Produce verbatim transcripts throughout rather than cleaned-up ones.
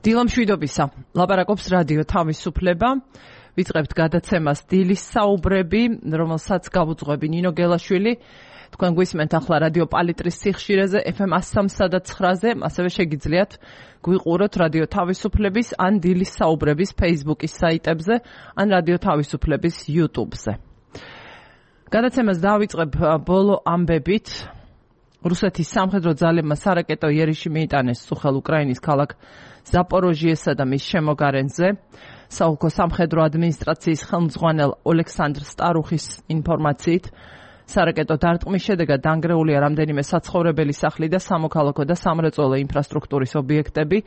დილამშვიდობისა. ლაპარაკობს რადიო თავისუფლება. ვიწყებთ გადაცემას დილის საუბრები, რომელსაც გავუძღვები ნინო გელაშვილი. თქვენ გვისმენთ ახლა რადიო პალიტრის სიხშირეზე ეფ ემ one oh three point nine-ზე, ასევე შეგიძლიათ გვიყუროთ რადიო თავისუფლების ან დილის საუბრების Facebook-ის საიტებზე, ან რადიო თავისუფლების YouTube-ზე. გადაცემას დავიწყებ ბოლო ამბებით. რუსეთის სამხედრო ძალებმა სარაკეტო იერიში მიიტანეს სუხელ უკრაინის ქალაქ ზაპოროჟიესა და მის შემოგარენზე. საოლქო სამხედრო ადმინისტრაციის ხელმძღვანელ ოლექსანდრ სტარუხის ინფორმაციით, სარაკეტო დარტყმის შედეგად დანგრეულია რამდენიმე საცხოვრებელი სახლი და სამოქალაქო და სამრეწველო ინფრასტრუქტურის ობიექტები.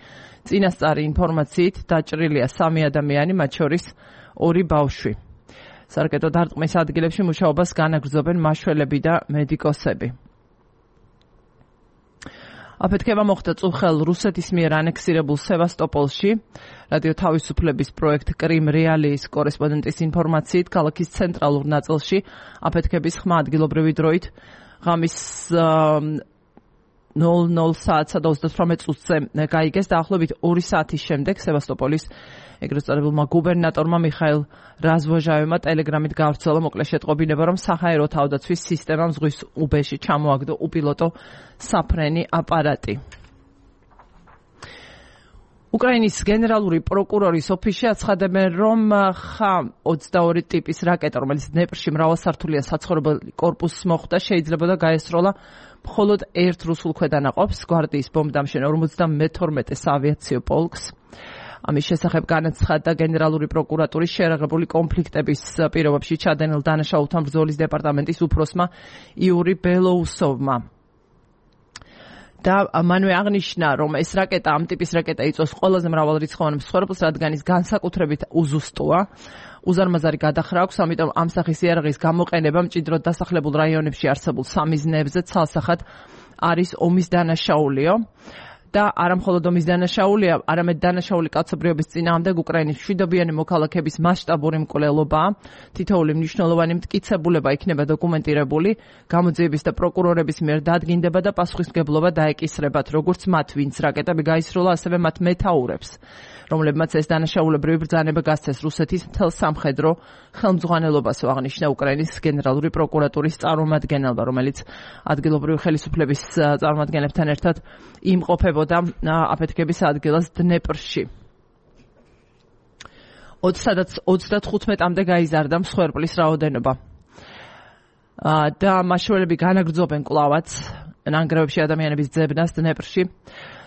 წინასწარი ინფორმაციით დაჭრილია სამი ადამიანი, მათ შორის ორი ბავშვი. სარაკეტო დარტყმის ადგილებში მუშაობას განაგრძობენ მაშველები და მედიკოსები. აფეთქება მოხდა წუხელ რუსეთის მიერ ანექსირებულ სევასტოპოლში. რადიო თავისუფლების პროექტ კრიმ რეალიის კორესპონდენტის ინფორმაციით, ქალაქის ცენტრალურ ნაწილში აფეთქების ხმა ადგილობრივი დროით ღამის ნულ ნულ საათსა და ოცდათვრამეტ წუთზე გაიგეს. დაახლოებით ორი საათის შემდეგ სევასტოპოლის ეგრეთ წოდებულმა გუბერნატორმა მიხაილ რაზვოჟავმა ტელეგრამით გავრცელა მოკლე შეტყობინება, რომ საჰაერო თავდაცვის სისტემამ ზღვის უბეში ჩამოაგდო უპილოტო საფრენი აპარატი. უკრაინის გენერალური პროკურორის ოფისში აცხადებენ, რომ ხა ოცდაორი ტიპის რაკეტა, რომელიც დნეპრში მრავალსართულიან საცხოვრებელ კორპუსს მოხვდა, შეიძლებოდა გაესროლა მხოლოდ ერთ რუსულ ქვედანაყოფს, გვარდიის ბომბდამშენ ორმოცდამეთორმეტე საავიაციო პოლკს. ამის შესახებ განაცხადა გენერალური პროკურატურის შეერაღებული კონფლიქტების პირობებში ჩადენილ დანაშაულთან ბრძოლის დეპარტამენტის უფროსმა იური ბელოუსოვმა. და მანვე აღნიშნა, რომ ეს რაკეტა, ამ ტიპის რაკეტა იწვევს ყველაზე მრავალრიცხოვან მსხვერპლს, რადგან ის განსაკუთრებით უზუსტოა. უზარმაზარი გადახრა აქვს, ამიტომ ამ სახის იარაღის გამოყენება მჭიდროდ დასახლებულ რაიონებში არსებულ სამიზნეებზე ცალსახად არის ომის დანაშაულიო. და არა მხოლოდ ომის დანაშაულია, არამედ დანაშაული კაცობრიობის წინააღმდეგ უკრაინის მშვიდობიანი მოქალაქების მასშტაბური მკვლელობაა. თითოეული მნიშვნელოვანი მტკიცებულება იქნება დოკუმენტირებული, გამოძიების და პროკურორების მიერ დადგინდება და პასუხისმგებლობა დაეკისრებათ, როგორც მათ, ვინც რაკეტები გაისროლა, ასევე მათ მეთაურებს, რომლებმაც ეს დანაშაულებრივი ბრძანება გასცეს რუსეთის მთელ სამხედრო ხელმძღვანელობას, აღნიშნა უკრაინის გენერალური პროკურატურის წარმომადგენელმა, რომელიც ადგილობრივი ხელისუფლების წარმომადგენლებთან ერთად იმყოფებოდა აფეთქების ადგილას დნეპრში. ოცდათხუთმეტამდე გაიზარდა მსხვერპლის რაოდენობა. და მაშველები განაგრძობენ კვლავაც ნანგრევებში ადამიანების ძებნას დნეპრში.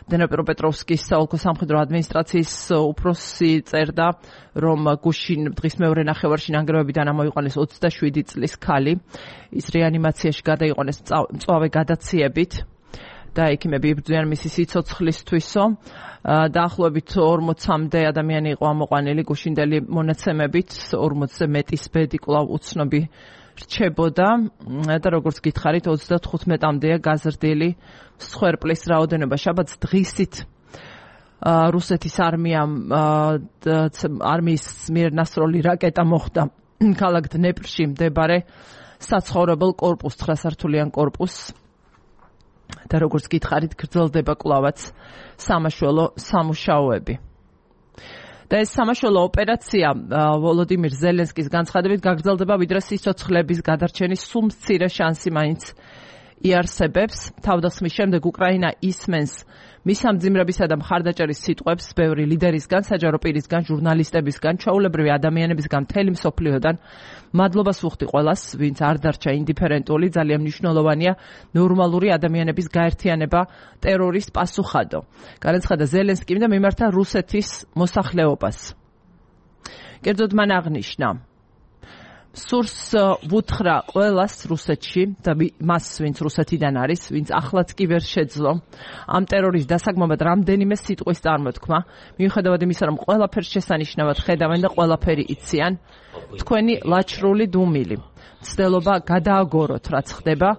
დნეპროპეტროვსკის საოლქო სამხედრო ადმინისტრაციის უფროსი წერდა, რომ გუშინ დღის მეორე ნახევარში ნანგრევებიდან ამოიყვანეს ოცდაშვიდი წლის ქალი. ის რეანიმაციაში გადაიყვანეს მწვავე გადაციებით და ექიმები იბრძვიან მისი სიცოცხლისთვისო. დაახლოებით ორმოცამდე ადამიანი იყო ამოყვანილი გუშინდელი მონაცემებით, ორმოცზე მეტის ბედი კვლავ უცნობი რჩებოდა და როგორც გითხარით, ოცდათხუთმეტამდეა გაზრდილი მსხვერპლის რაოდენობა. შაბათს დღისით რუსეთის არმიამ არმიის მიერ ნასროლი რაკეტა მოხვდა ქალაქ დნეპრში მდებარე საცხოვრებელ კორპუსს, ცხრასართულიან კორპუსს. და როგორც გითხარით, გრძელდება კვლავაც სამაშველო სამუშაოები. და ეს სამაშველო ოპერაცია ვოლოდიმირ ზელენსკის განცხადებით გაგრძელდება, ვიდრე სიცოცხლების გადარჩენის სულ მცირე შანსი მაინც იარსებებს. თავდასხმის შემდეგ უკრაინა ისმენს მის ამძიმრებისა და მხარდაჭერის სიტყვებს ბევრი ლიდერისგან, საჯარო პირისგან, ჟურნალისტებისგან, ჩვეულებრივი ადამიანებისგან, მთელი მსოფლიოდან. მადლობას ვუხდი ყველას, ვინც არ დარჩა ინდიფერენტული, ძალიან მნიშვნელოვანია ნორმალური ადამიანების გაერთიანება ტერორის პასუხადო. განაცხადა ზელენსკიმ და მიმართა რუსეთის მოსახლეობას. კერძოდ მან აღნიშნა, სურს ვუთხრა ყველას რუსეთში და მას, ვინც რუსეთიდან არის, ვინც ახლაც კი ვერ შეძლო ამ ტერორის დასაგმობად რამდენიმე სიტყვის წარმოთქმა, მიუხედავად იმისა, რომ ყველაფერს შესანიშნავად ხედავენ და ყველაფერი იციან, თქვენი ლაჩრული დუმილი. მცდელობა გადააგოროთ, რაც ხდება,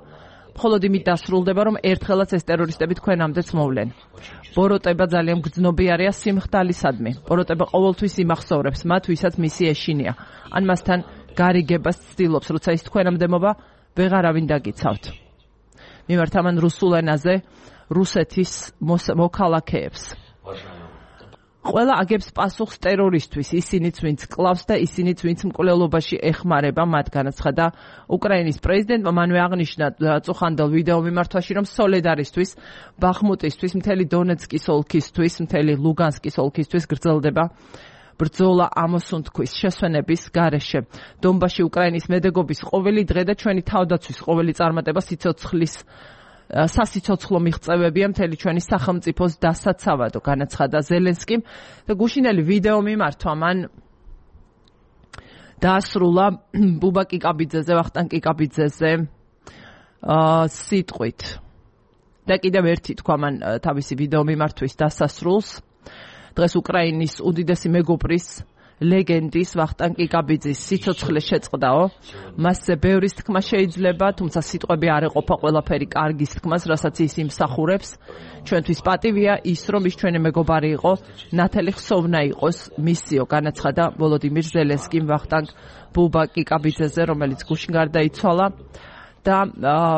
მხოლოდ იმით დასრულდება, რომ ერთხელაც ეს ტერორისტები თქვენამდეც მოვლენ. ბოროტება ძალიან გრძნობიარეა სიმხდალისადმი. ბოროტება ყოველთვის იმახსოვრებს მათ, ვისაც მისი ეშინია, ან მასთან გარიგებას ცდილობს, როცა ის თქვენამდე მოვა, ვეღარავინ დაგიცავთ. მიმართ ამან რუსულ ენაზე რუსეთის მოქალაქეებს. ყველა აგებს პასუხს ტერორისთვის, ისინიც ვინც კლავს და ისინიც ვინც მკვლელობაში ეხმარება მათ, განაცხადა უკრაინის პრეზიდენტმა. მანვე აღნიშნა წუხანდელ ვიდეო მიმართვაში, რომ სოლედარისთვის, ბახმუტისთვის, მთელი დონეცკის ოლქისთვის, მთელი ლუგანსკის ოლქისთვის გრძელდება ბრძოლა ამოსუნთქვის შესვენების გარეშე. დონბასში უკრაინის მედეგობის ყოველი დღე და ჩვენი თავდაცვის ყოველი წარმატება სიცოცხლის სასიცოცხლო მიღწევებია მთელი ჩვენი სახელმწიფოს დასაცავადო, განაცხადა ზელენსკიმ და გუშინელი ვიდეო მიმართვა მან დაასრულა ბუბა კიკაბიძეზე, ვახტანგ კიკაბიძეზე სიტყვით. და კიდევ ერთი თქვა მან თავისი ვიდეო მიმართვის დასასრულს. დღეს უკრაინის უდიდესი მეგობრის ლეგენდის ვახტანგ კიკაბიძის სიცოცხლე შეწყდაო. მასზე ბევრის თქმა შეიძლება, თუმცა სიტყვები არ ეყოფა ყველაფერი კარგის თქმას, რასაც ის იმსახურებს. ჩვენთვის პატივია ის, რომ ის ჩვენი მეგობარი იყო, ნათელი ხსოვნა იყოს მისიო, განაცხადა ვოლოდიმირ ზელენსკიმ ვახტანგ ბუბა კიკაბიძეზე, რომელიც გუშინ გარდაიცვალა. და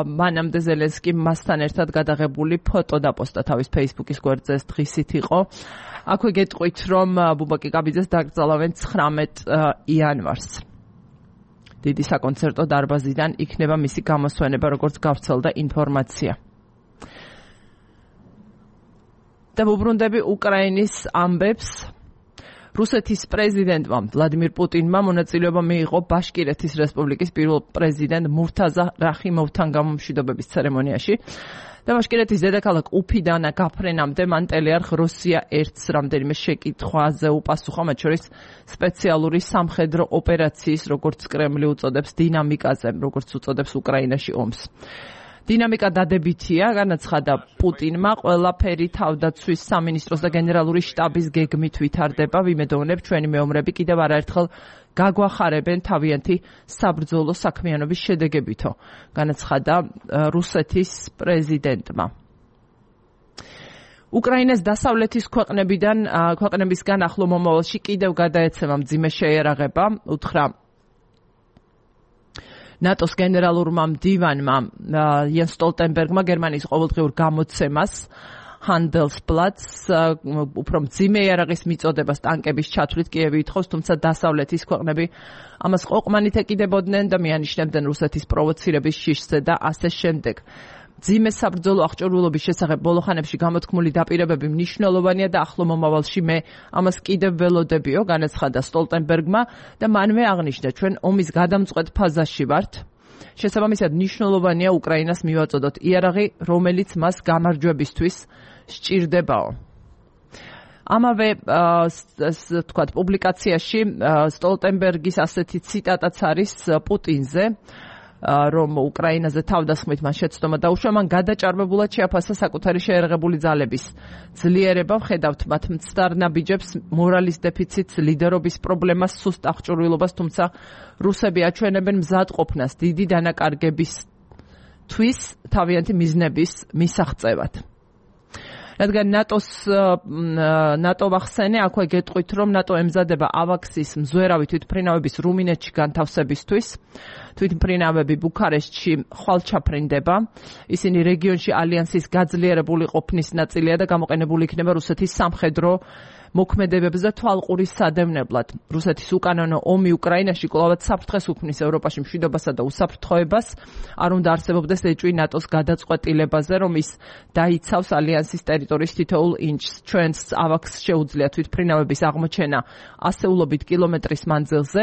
მანამდე ზელენსკიმ მასთან ერთად გადაღებული ფოტო დაპოსტა თავის Facebook-ის გვერდზე, დღისით იყო. აქვე გეტყვით, რომ ბუბა კიკაბიძეს დაკრძალავენ ცხრამეტ იანვარს. დიდი საკონცერტო დარბაზიდან იქნება მისი გამოსვენება, როგორც გავრცელდა ინფორმაცია. და ვუბრუნდები უკრაინის ამბებს. რუსეთის პრეზიდენტმა ვლადიმირ პუტინმა მონაწილეობა მიიღო ბაშკირეთის რესპუბლიკის პირველ პრეზიდენტ მურთაზა რახიმოვთან გამომშვიდობების ცერემონიაში. და ბაშკირეთის დედაქალაქ უფიდანა გაფრენამდე მან ტელეარხ რუსია ერთს რამდენიმე შეკითხვაზე უპასუხა, მათ შორის სპეციალური სამხედრო ოპერაციის, როგორც კრემლი უწოდებს, დინამიკაზე, როგორც უწოდებს უკრაინაში ომს. დინამიკა დადებითია, განაცხადა პუტინმა, ყველაფერი თავდაცვის სამინისტროს და გენერალური შტაბის გეგმით ვითარდება. ვიმედოვნებ, ჩვენი მეომრები კიდევ არაერთხელ გაგვახარებენ თავიანთი საბრძოლო საქმიანობის შედეგებითო, განაცხადა რუსეთის პრეზიდენტმა. უკრაინას დასავლეთის ქვეყნებიდან ქვეყნებისგან ახლო მომავალში კიდევ გადაეცემა მძიმე შეიარაღება, უთხრა ნატოს გენერალურმა მდივანმა იენს სტოლტენბერგმა გერმანიის ყოველდღიურ გამოცემას Handelsblatt's უფრო მძიმე იარაღის მიწოდებას ტანკების ჩათვლით კიევი ითხოვს, თუმცა დასავლეთის ქვეყნები ამას ყოყმანით ეკიდებოდნენ და მიანიშნებდნენ რუსეთის პროვოცირების შიშზე და ასე შემდეგ. მძიმე საბრძოლო აღჭურვილობის შესახებ ბოლოხანებში გამოთქმული დაპირებები მნიშვნელოვანია და ახლო მომავალში მე ამას კიდევ ველოდებიო, განაცხადა სტოლტენბერგმა და მანვე აღნიშნა, ჩვენ ომის გადამწყვეტ ფაზაში ვართ. შესაბამისად მნიშვნელოვანია უკრაინას მივაწოდოთ იარაღი, რომელიც მას გამარჯვებისთვის სჭირდებაო. ამავე თქვათ პუბლიკაციაში სტოლტენბერგის ასეთი ციტატაც არის პუტინზე, რომ უკრაინაზე თავდასხმით მან შეცდომა დაუშვა, მან გადაჭარბებულად შეაფასა საკუთარი შეერაღებული ძალების ძლიერება, ვხედავთ მათ მცდარ ნაბიჯებს, მორალის დეფიციტს, ლიდერობის პრობლემას, სუსტ აღჭურვილობას, თუმცა რუსები აჩვენებენ მზადყოფნას დიდი დანაკარგებისთვის თავიანთი მიზნების მისაღწევად. რადგან ნატოს ნატო ვახსენე, აქვე გეტყვით, რომ ნატო ემზადება ავაქსის მზვერავი თვითმფრინავების რუმინეთში განთავსებისთვის. თვითმფრინავები ბუქარესტში ხვალ ჩაფრინდება. ისინი რეგიონში ალიანსის გაძლიერებული ყოფნის ნაწილია და გამოყენებული იქნება რუსეთის სამხედრო მოქმედებებს და თვალყურის სადევნებლად. რუსეთის უკანონო ომი უკრაინაში კვლავაც საფრთხეს უქმნის ევროპაში მშვიდობასა და უსაფრთხოებას. არ უნდა არსებობდეს ეჭვი ნატოს გადაწყვეტილებაზე, რომ ის დაიცავს ალიანსის ტერიტორიის თითოეულ ინჩს. ჩვენს ავაქსს შეუძლია თვითმფრინავების აღმოჩენა ასეულობით კილომეტრის მანძილზე,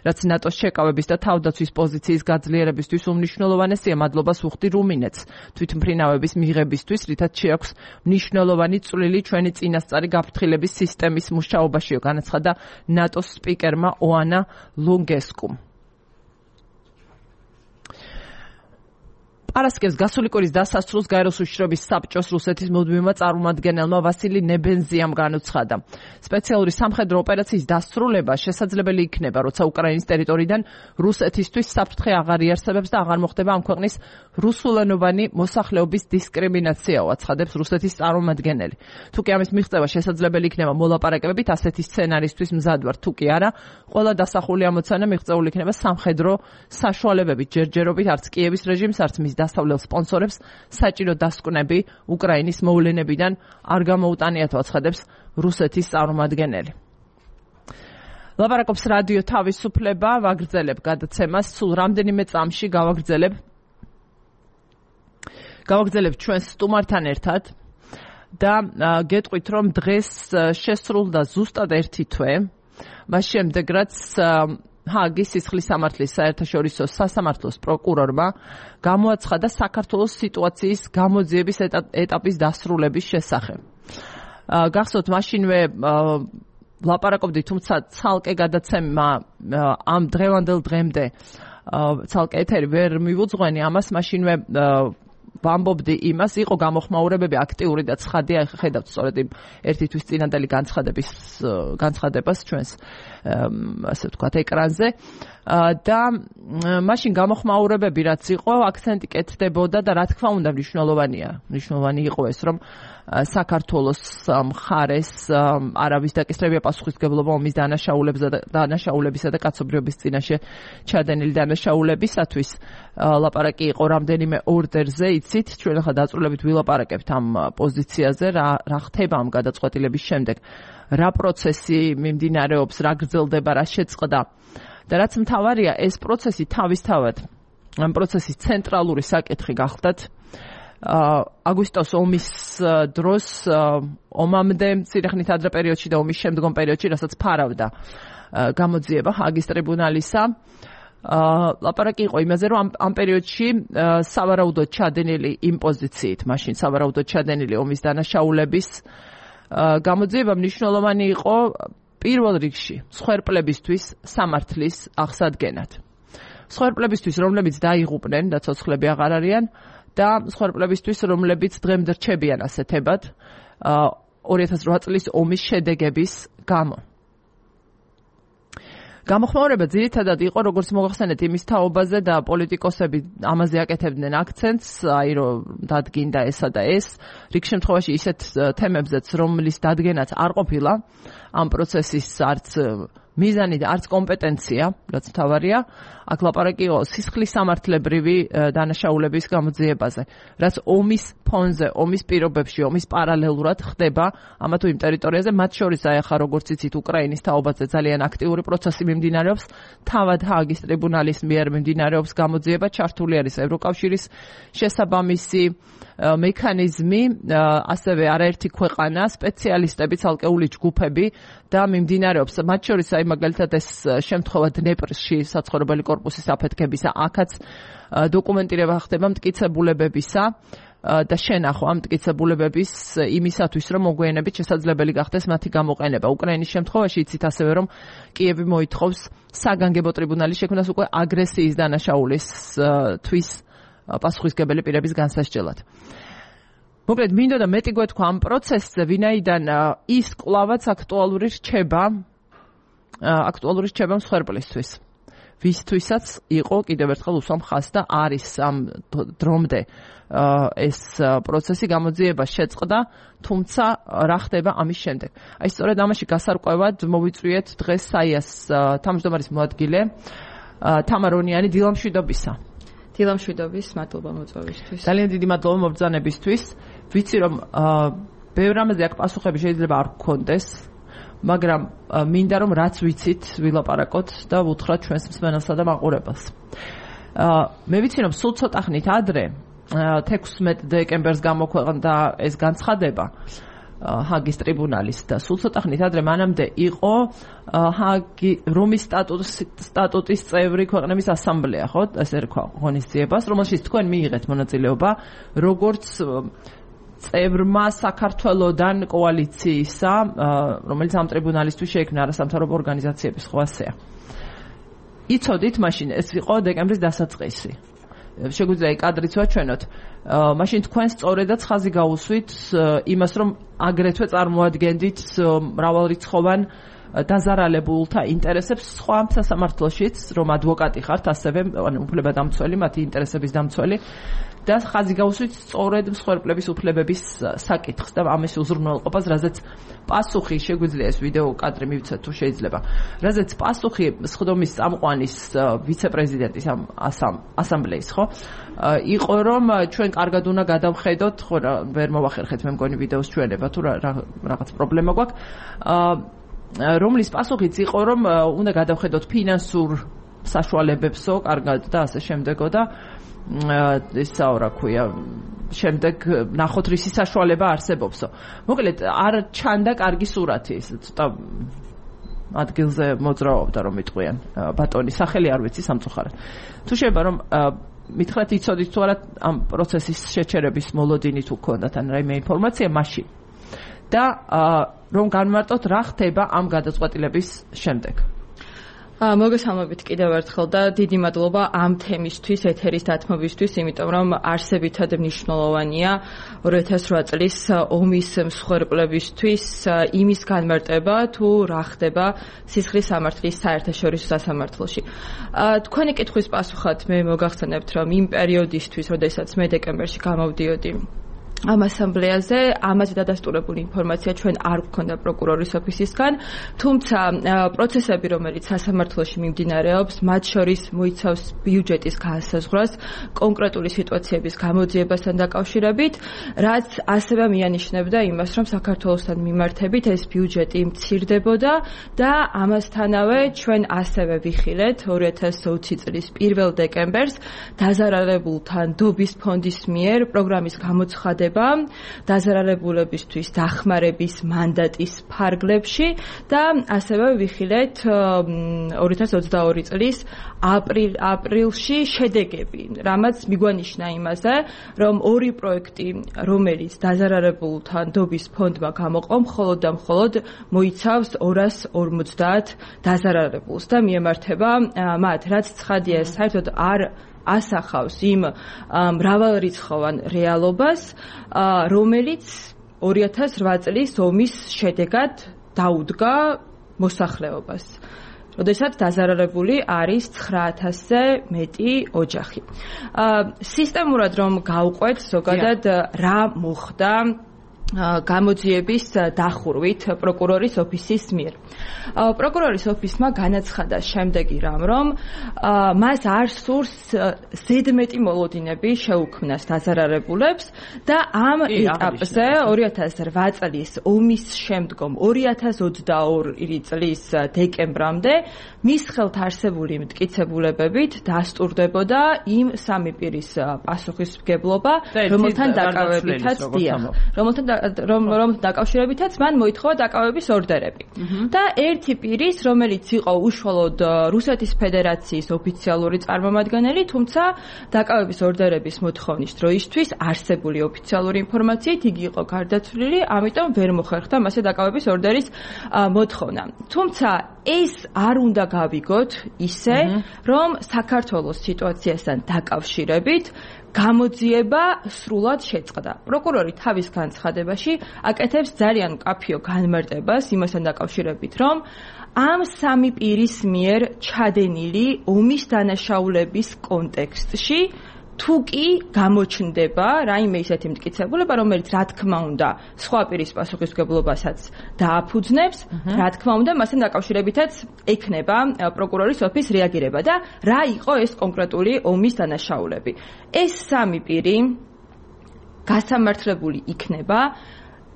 რაც ნატოს შეკავების და თავდაცვის პოზიციის გაძლიერებისთვის უმნიშვნელოვანესია. მადლობას ვუხდი რუმინეთს თვითმფრინავების მიღებისთვის, რითაც შეაქვს მნიშვნელოვანი წვლილი ჩვენი წინასწარი გაფრთხილების სისტემის მუშაობაშიო, განაცხადა ნატოს სპიკერმა ოანა ლუნგესკუმ. პარასკევს გასული კვირის დასასრულს გაეროს უშიშროების საბჭოს რუსეთის მუდმივმა წარმომადგენელმა ვასილი ნებენზიამ განუცხადა. სპეციალური სამხედრო ოპერაციის დასრულება შესაძლებელი იქნება, როცა უკრაინის ტერიტორიიდან რუსეთისთვის საფრთხე აღარ იარსებებს და აღარ მოხდება ამ ქვეყნის რუსულენოვანი მოსახლეობის დისკრიმინაციაო, აცხადებს რუსეთის წარმომადგენელი. თუკი ამის მიღწევა შესაძლებელი იქნება მოლაპარაკებებით, ასეთი სცენარისთვის მზად ვარ, თუკი არა, ყველა დასახული ამოცანა მიღწეული იქნება სამხედრო საშუალებებით, ჯერჯერობით, არც კიევის რეჟიმს, არც მის გასავლელ სპონსორებს საჭირო დასკვნები უკრაინის მოვლენებიდან არ გამოუტანიათ, აცხადებს რუსეთის წარმომადგენელი. ლაპარაკობს რადიო თავისუფლება, ვაგრძელებ გადაცემას, სულ რამდენიმე წამში გავაგრძელებ გავაგრძელებ ჩვენს სტუმართან ერთად და გეტყვით, რომ დღეს შესრულდა ზუსტად ერთი თვე, მას შემდეგ რაც ჰააგის სისხლის სამართლის საერთაშორისო სასამართლოს პროკურორმა გამოაცხადა საქართველოს სიტუაციის გამოძიების ეტაპის დასრულების შესახებ. გახსოვთ, მაშინვე ლაპარაკობდი, თუმცა ცალკე გადაცემა ამ დღევანდელ დღემდე ცალკე ეთერი ვერ მივუძღვენი ამას, მაშინვე ვამბობდი იმას, იყო გამოხმაურებები აქტიური და ცხადია, ხედავთ სწორედ იმ ერთი თვის წინანდელი განცხადების განცხადებას ჩვენს ასე ვთქვათ ეკრანზე და მაშინ გამოხმაურებები რაც იყო, აქცენტი კეთდებოდა და რა თქმა უნდა მნიშვნელოვანია, მნიშვნელოვანი იყო ეს, რომ საქართველოს მხარეს არავის დაკისრებია პასუხისმგებლობა ომის დანაშაულებისა და დანაშაულებისა და კაცობრიობის წინაშე ჩადენილი დანაშაულებისათვის. ლაპარაკი იყო რამდენიმე ორდერზე, იცით, ჩვენ ახლა დაწვრილებით ვილაპარაკებთ ამ პოზიციაზე, რა რა ხდება ამ გადაწყვეტილების შემდეგ, რა პროცესი მიმდინარეობს, რა გრძელდება, რა შეწყდა. და რაც მთავარია, ეს პროცესი თავისთავად ამ პროცესის ცენტრალური საკითხი გახლდათ აგვისტოს ომის დროს, ომამდე, მცირე ხნით ადრე პერიოდში და ომის შემდგომ პერიოდში, რასაც ფარავდა გამოძიება ჰააგის ტრიბუნალისა. ლაპარაკი იყო იმაზე, რომ ამ პერიოდში სავარაუდოდ ჩადენილი იმ პოზიციით, მაშინ სავარაუდოდ ჩადენილი ომის დანაშაულების გამოძიება მნიშვნელოვანი იყო პირველ რიგში მსხვერპლებისთვის სამართლის აღსადგენად. მსხვერპლებისთვის, რომლებიც დაიღუპნენ და ცოცხლები აღარ არიან და მსხვერპლებისთვის, რომლებიც დღემდე რჩებიან ასეთებად ორი ათას რვა წლის ომის შედეგების გამო. გამოხმაურება ძირითადად იყო, როგორც მოგახსენეთ, იმის თაობაზე და პოლიტიკოსები ამაზე აკეთებდნენ აქცენტს, აი რომ დადგინდა ესა და ეს, რიგ შემთხვევაში ისეთ თემებზეც, რომლის დადგენაც არ ყოფილა ამ პროცესის არც მიზანი და არც კომპეტენცია, რაც მთავარია, აქ ლაპარაკი იყო სისხლის სამართლებრივი დანაშაულების გამოძიებაზე, რაც ომის ფონზე, ომის პირობებში, ომის პარალელურად ხდება ამა თუ იმ ტერიტორიაზე, მათ შორის აი ახლა როგორც იცით, უკრაინის თაობაზე ძალიან აქტიური პროცესი მიმდინარეობს, თავად ჰააგის ტრიბუნალის მიერ მიმდინარეობს გამოძიება, ჩართული არის ევროკავშირის შესაბამისი მექანიზმი, ასევე არაერთი ქვეყანა, სპეციალისტები, ცალკეული ჯგუფები და მიმდინარეობს, მათ შორის აი მაგალითად ეს შემთხვევა დნეპრში საცხოვრებელი კორპუსის აფეთქებისა, აქაც დოკუმენტირება ხდება მტკიცებულებებისა და შენახვა მტკიცებულებების იმისათვის, რომ მოგვიანებით შესაძლებელი გახდეს მათი გამოყენება. უკრაინის შემთხვევაში იცით ასევე, რომ კიევი მოითხოვს საგანგებო ტრიბუნალის შექმნას უკვე აგრესიის დანაშაულისთვის პასუხისმგებელი პირების განსასჯელად. მოკლედ, მინდოდა მეტი გვეთქვა ამ პროცესზე, ვინაიდან ის კვლავაც აქტუალური რჩება, აქტუალური რჩება მსხვერპლისთვის. ვისთვისაც იყო კიდევ ერთხელ უსვამ ხაზს და არის ამ დრომდე ეს პროცესი გამოძიება შეწყდა, თუმცა რა ხდება ამის შემდეგ. აი სწორედ ამაში გასარკვევად მოვიწვიეთ დღეს საიას თავმჯდომარის მოადგილე თამარონიანი დილამშვიდობისა. დილამშვიდობის, მადლობა მოწვევისთვის. ძალიან დიდი მადლობა მობრძანებისთვის. ვიცი რომ ბევრ რამაზე აქ პასუხები შეიძლება არ გქონდეს, მაგრამ მინდა რომ რაც ვიცით ვილაპარაკოთ და ვუთხრათ ჩვენს მსმენელსა და მაყურებელს. მე ვიცი რომ სულ ცოტა ხნით ადრე თექვსმეტ დეკემბერს გამოქვეყნდა ეს განცხადება ჰააგის ტრიბუნალის და სულ ცოტა ხნით ადრე მანამდე იყო ჰაგი რომის სტატუტის წევრი ქვეყნების ასამბლეა, ხო? ესე რქვა ღონისძიებას, რომელშიც თქვენ მიიღეთ მონაწილეობა როგორც წევრმა საქართველოდან კოალიციისა, რომელიც ამ ტრიბუნალისთვის შეიქმნა არასამთავრობო ორგანიზაციების, ხო ასეა. იცოდით მაშინ ეს იყო დეკემბრის დასაწყისი. შეგვიძლია იქ კადრიც ვაჩვენოთ. მაშინ თქვენ სწორედაც ხაზი გაუსვით იმას, რომ აგრეთვე წარმოადგენდით მრავალრიცხოვან დაზარალებულთა ინტერესებს სხვა სასამართლოშიც, რომ ადვოკატი ხართ, ასევე უფლებადამცველი, მათი ინტერესების დამცველი და ხაზი გავუსვით სწორედ მსხვერპლების უფლებების საკითხს და ამის უზრუნველყოფას, რაზეც პასუხი შეგვიძლია ეს ვიდეო კადრი მივცეთ თუ შეიძლება. რაზეც პასუხი სხდომის წამყვანის ვიცე-პრეზიდენტის ამ ასამბლეის, ხო? იყო რომ ჩვენ კარგად უნდა გადავხედოთ, ხო რა, ვერ მოვახერხეთ მე მგონი ვიდეოს ჩვენება თუ რაღაც პრობლემა გვაქვს. რომლის პასუხიც იყო რომ უნდა გადავხედოთ ფინანსურ საშუალებებსო, კარგად და ასე შემდეგო და ესაო რა ქვია, შემდეგ ნახოთ რისი საშუალება არსებობსო. მოკლედ არ ჩანდა კარგი სურათი, ეს ცოტა ადგილზე მოძრაობდა რომ იტყვიან ბატონის სახელი არ ვიცი სამწუხაროდ. თუ შეიძლება რომ მითხრათ იცოდით თუ არა ამ პროცესის შეჩერების მოლოდინი თუ გქონდათ ან რაიმე ინფორმაცია მაშინ. და რომ განმარტოთ რა ხდება ამ გადაწყვეტილების შემდეგ. მოგესალმებით კიდევ ერთხელ და დიდი მადლობა ამ თემისთვის, ეთერის დათმობისთვის, იმიტომ რომ არსებითად მნიშვნელოვანია ორი ათას ოთხ წლის ომის მსხვერპლებისთვის იმის განმარტება, თუ რა ხდება სისხლის სამართლის საერთაშორისო სასამართლოში. თქვენი კითხვის პასუხად მე მოგახსენებთ, რომ იმ პერიოდისთვის, როდესაც მე დეკემბერში გამოვდიოდი ამ ასამბლეაზე, ამაზე დადასტურებული ინფორმაცია ჩვენ არ გვქონდა პროკურორის ოფისისგან, თუმცა პროცესები, რომელიც სასამართლოში მიმდინარეობს, მათ შორის მოიცავს ბიუჯეტის განსაზღვრას, კონკრეტული სიტუაციების გამოძიებასთან დაკავშირებით, რაც ასევე მიანიშნებდა იმას, რომ საქართველოსთან მიმართებით ეს ბიუჯეტი მცირდებოდა და ამასთანავე ჩვენ ასევე ვიხილეთ ორი ათას ოცი წლის პირველ დეკემბერს დაზარალებულთან დობის ფონდის მიერ პროგრამის გამოცხადება დაზარალებულებისთვის დახმარების მანდატის ფარგლებში და ასევე ვიხილეთ ორი ათას ოცდაორი წლის აპრილ აპრილში შედეგები, რამაც მიგვანიშნა იმაზე, რომ ორი პროექტი, რომელიც დაზარალებულთან დობის ფონდმა გამოყო, მხოლოდ და მხოლოდ მოიცავს ორას ორმოცდაათ დაზარალებულს და მიემართება მათ, რაც ცხადია, საერთოდ არ ასახავს იმ მრავალრიცხოვან რეალობას, რომელიც ორი ათას ოთხ წლის ომის შედეგად დაუდგა მოსახლეობას. როდესაც დაზარალებული არის ცხრა ათასზე მეტი ოჯახი. სისტემურად რომ გავყვეთ, ზოგადად რა მოხდა გამოძიების დახურვით პროკურორის ოფისის მიერ. პროკურორის ოფისმა განაცხადა შემდეგი რამ, რომ მას არ სურს ზედმეტი მოლოდინები შეუქმნას დაზარალებულებს და ამ ეტაპზე ორი ათას ოთხ წლის ომის შემდგომ ორი ათას ოცდაორი წლის დეკემბრამდე მის ხელთ არსებული მტკიცებულებებით დასტურდებოდა იმ სამი პირის პასუხისმგებლობა, რომელთან დაკავებითაც დიახ, რომელთან რომ რომ დაკავშირებითაც მან მოითხოვა დაკავების ორდერები. და ერთი პირის, რომელიც იყო უშუალოდ რუსეთის ფედერაციის ოფიციალური წარმომადგენელი, თუმცა დაკავების ორდერების მოთხოვნის დროისთვის არსებული ოფიციალური ინფორმაციით იგი იყო გარდაცვლილი, ამიტომ ვერ მოხერხდა მასე დაკავების ორდერის მოთხოვნა. თუმცა ეს არ უნდა გავიგოთ ისე, რომ საქართველოს სიტუაციასთან დაკავშირებით გამოძიება სრულად შეწყდა. პროკურორი თავის განცხადებაში აკეთებს ძალიან მკაფიო განმარტებას იმასთან დაკავშირებით, რომ ამ სამი პირის მიერ ჩადენილი ომის დანაშაულების კონტექსტში თუ კი გამოჩნდება რაიმე ისეთი მტკიცებულება, რომელიც რა თქმა უნდა სხვა პირის პასუხისმგებლობასაც დააფუძნებს, რა თქმა უნდა მასთან დაკავშირებითაც ექნება პროკურორის ოფისის რეაგირება და რა იყო ეს კონკრეტული ომის დანაშაულები. ეს სამი პირი გასამართლებული იქნება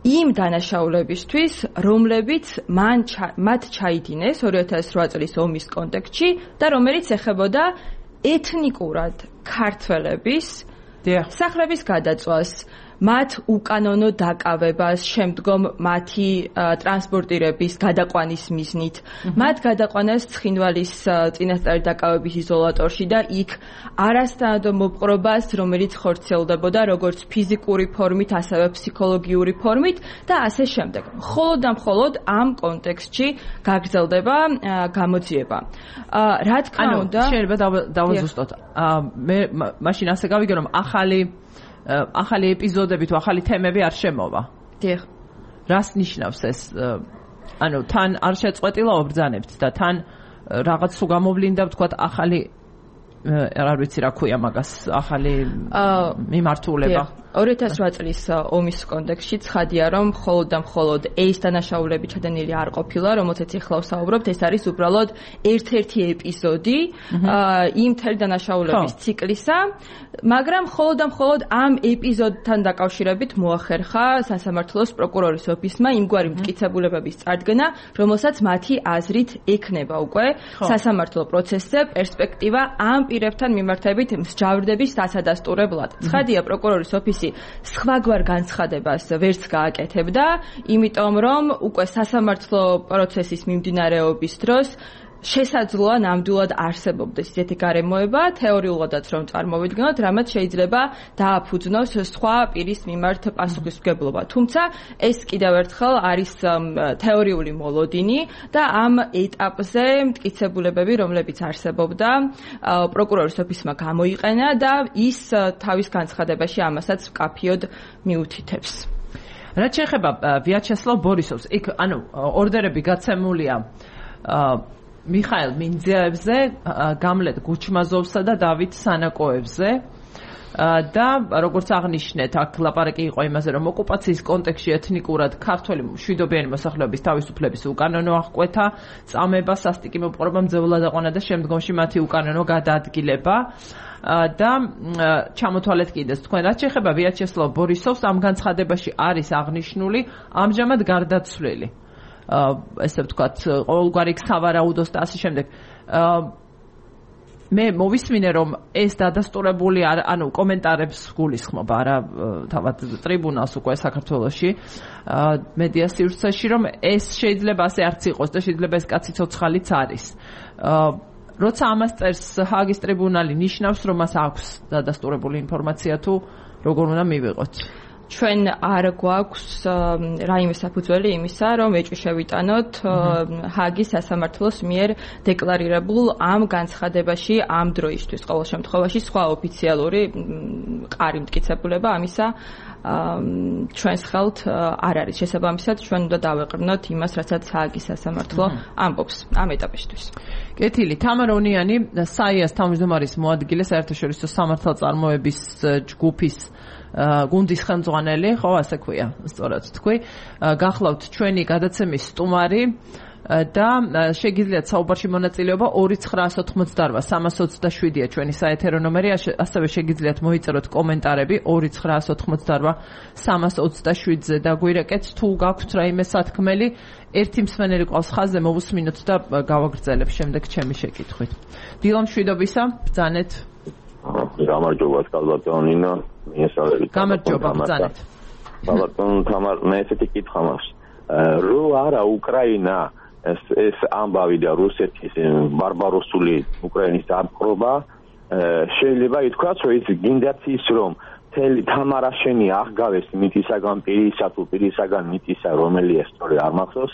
იმ დანაშაულებისთვის, რომლებიც მან მათ ჩაიდინეს ორი ათას ოთხ წლის ომის კონტექსტში და რომელიც ეხებოდა ეთნიკურად ქართველების სახლების გადაწვას, მათ უკანონო დაკავებას, შემდგომ მათი ტრანსპორტირების გადაყვანის მიზნით, მათ გადაყვანას ცხინვალის წინასწარი დაკავების იზოლატორში და იქ არასთანადო მოპყრობას, რომელიც ხორციელდებოდა როგორც ფიზიკური ფორმით, ასევე ფსიქოლოგიური ფორმით და ასე შემდეგ. მხოლოდ და მხოლოდ ამ კონტექსტში გაგრძელდება გამოძიება. რა თქმა უნდა, შეიძლება დავაზუსტოთ. მე მაშინ ასე გავიგე, რომ ახალი ახალი ეპიზოდები თუ ახალი თემები არ შემოვა. დიახ. რას ნიშნავს ეს? ანუ თან არ შეწყვეტილა ობრძანებთ და თან რაღაც თუ გამოვლინდა ვთქვათ ახალი არ ვიცი რა ქვია მაგას ახალი მიმართულება ორი ათას ოთხ წლის ომის კონტექსტში ცხადია რომ მხოლოდ და მხოლოდ ეს დანაშაულები ჩადენილი არ ყოფილა რომელზეც ახლა ვსაუბრობთ ეს არის უბრალოდ ერთ-ერთი ეპიზოდი იმ მთელი დანაშაულების ციკლისა მაგრამ მხოლოდ და მხოლოდ ამ ეპიზოდთან დაკავშირებით მოახერხა სასამართლოს პროკურორის ოფისმა იმგვარი მტკიცებულებების წარდგენა რომელსაც მათი აზრით ექნება უკვე სასამართლო პროცესზე პერსპექტივა ამ პირებთან მიმართებით მსჯავრდების დასადასტურებლად ცხადია პროკურორის ოფისი სხვაგვარ განცხადებას ვერც გააკეთებდა, იმიტომ რომ უკვე სასამართლო პროცესის მიმდინარეობის დროს შესაძლოა ნამდვილად არსებობდეს ისეთი გარემოება, თეორიულადაც რომ წარმოვიდგინოთ, რამაც შეიძლება დააფუძნოს სხვა პირის მიმართ პასუხისმგებლობა. თუმცა ეს კიდევ ერთხელ არის თეორიული მოლოდინი და ამ ეტაპზე მტკიცებულებები, რომლებიც არსებობდა, პროკურორის ოფისმა გამოიყენა და ის თავის განცხადებაში ამასაც მკაფიოდ მიუთითებს. რაც შეეხება ვიაჩესლავ ბორისოვს, იქ ანუ ორდერები გაცემულია მიხაილ მინძიაევზე, გამლეთ გუჩმაზოვსა და დავით სანაკოევზე და როგორც აღნიშნეთ, აქ ლაპარაკი იყო იმაზე, რომ ოკუპაციის კონტექსტში ეთნიკურად ქართველი მშვიდობიანი მოსახლეობის თავისუფლების უკანონო აღკვეთა, წამება, სასტიკი მოპყრობა, მძევლად აყვანა და შემდგომში მათი უკანონო გადაადგილება და ჩამოთვალეთ კიდეც თქვენ რაც შეეხება ვიაჩესლავ ბორისოვს ამ განცხადებაში არის აღნიშნული ამჟამად გარდაცვლილი ესე ვთქვათ, ყოველგვარი სავარაუდოს და ასე შემდეგ. მე მოვისმინე, რომ ეს დადასტურებული ანუ კომენტარებს გულისხმობა რა თავად ტრიბუნალს უკვე საქართველოში მედია სივრცეში, რომ ეს შეიძლება ასე არც იყოს და შეიძლება ეს კაცი ცოცხალიც არის. როცა ამას წერს ჰააგის ტრიბუნალი ნიშნავს, რომ მას აქვს დადასტურებული ინფორმაცია თუ როგორ უნდა მივიღოთ. ჩვენ არ გვაქვს რაიმე საფუძველი იმისა, რომ ეჭვი შევიტანოთ ჰააგის სასამართლოს მიერ დეკლარირებულ ამ განცხადებაში ამ დროისთვის ყოველ შემთხვევაში სხვა ოფიციალური მყარი მტკიცებულება ამისა ჩვენს ხელთ არ არის. შესაბამისად, ჩვენ უნდა დავეყრდნოთ იმას, რასაც ჰააგის სასამართლო ამბობს ამ ეტაპისთვის. კეთილი, თამარ ონიანი, საიას თავმჯდომარის მოადგილე საერთაშორისო სამართალწარმოების ჯგუფის გუნდის ხელმძღვანელი, ხო, ასე ქვია, სწორად თქვი. გახლავთ ჩვენი გადაცემის სტუმარი და შეგიძლიათ საუბარში მონაწილეობა ორი ცხრაას ოთხმოცდაოთხ სამას ოცდაშვიდია ჩვენი საეთერო ნომერი, ასევე შეგიძლიათ მოიწეროთ კომენტარები ორი ცხრაას ოთხმოცდაოთხ სამას ოცდაშვიდზე და გვირეკეთ თუ გაქვთ რაიმე სათქმელი, ერთი მსმენელი ყავს ხაზზე, მოვუსმინოთ და გავაგრძელებ შემდეგ ჩემი შეკითხვით. დილა მშვიდობისა, ბრძანეთ. გამარჯობა კალბატონ ნინო, მიესალმებით. გამარჯობა, ბრძანეთ. კალბატონ თამარ, მე ესეთი კითხვა მაქვს. რო არა უკრაინა ეს ეს ამბავი და რუსეთის ბარბაროსული უკრაინის დაპყრობა შეიძლება ითქვას, რომ ის გინდათ ის რომ თელი თამარაშენი აღგავეს მიწისაგან პირისა თუ პირისაგან მიწისა რომელია სწორი არ მახსოვს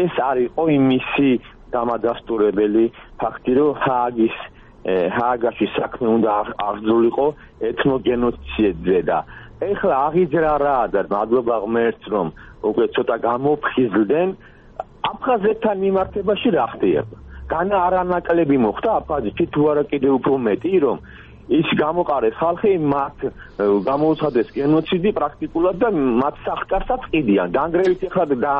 ეს არისო იმისი დამადასტურებელი ფაქტი რომ ჰააგის ჰააგაში საქმე უნდა აღძრულიყო ეთნოგენოციდზე და ეხლა აღიძრა რა და მადლობა ღმერთს რომ უკვე ცოტა გამოფხიზლდნენ აფხაზეთთან მიმართებაში რა ხდება განა არანაკლები მოხდა აფხაზეთში თუ არა კიდევ უფრო მეტი რომ ის გამოყარეს ხალხი მათ გამოუცხადეს გენოციდი პრაქტიკულად და მათ სახკარსაც ყიდიან განგრევით ეხლა და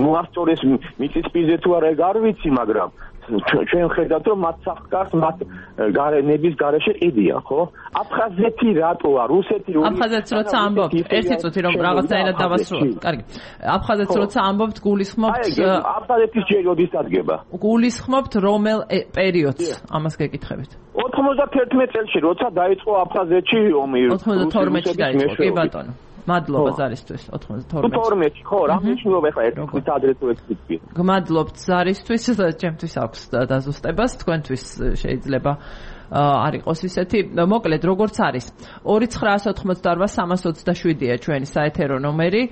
მოასწორეს მიწისპირზე თუ არა ეგ არ ვიცი მაგრამ ჩვენ ხედავთ რომ მათ სახკარს მათ გარენების გარეშე ყიდიან ხო აფხაზეთი რატოა რუსეთი რო აფხაზეთს როცა ამბობთ ერთი წუთი რომ რაღაცაერად დავასრულოთ კარგი აფხაზეთს როცა ამბობთ გულისხმობთ აფხაზეთის ჯერ როდის დადგება გულისხმობთ რომელ პერიოდს ამას გეკითხებით ოთხმოცდათერთმეტ წელში როცა დაიწყო აფხაზეთში ომი ოთხმოცდათორმეტში დაიწყო კი ბატონო მადლობა ზარისთვის ოთხმოცდათორმეტში ხო რა მნიშვნელობა ეხლა ერთ ადრე თუ ეს თვით გმადლობთ ზარისთვის ჩემთვის აქვს დაზუსტებას თქვენთვის შეიძლება არ იყოს ისეთი მოკლედ როგორც არის ორი ცხრაას ოთხმოცდაოთხ სამას ოცდაშვიდია ჩვენი საეთერო ნომერი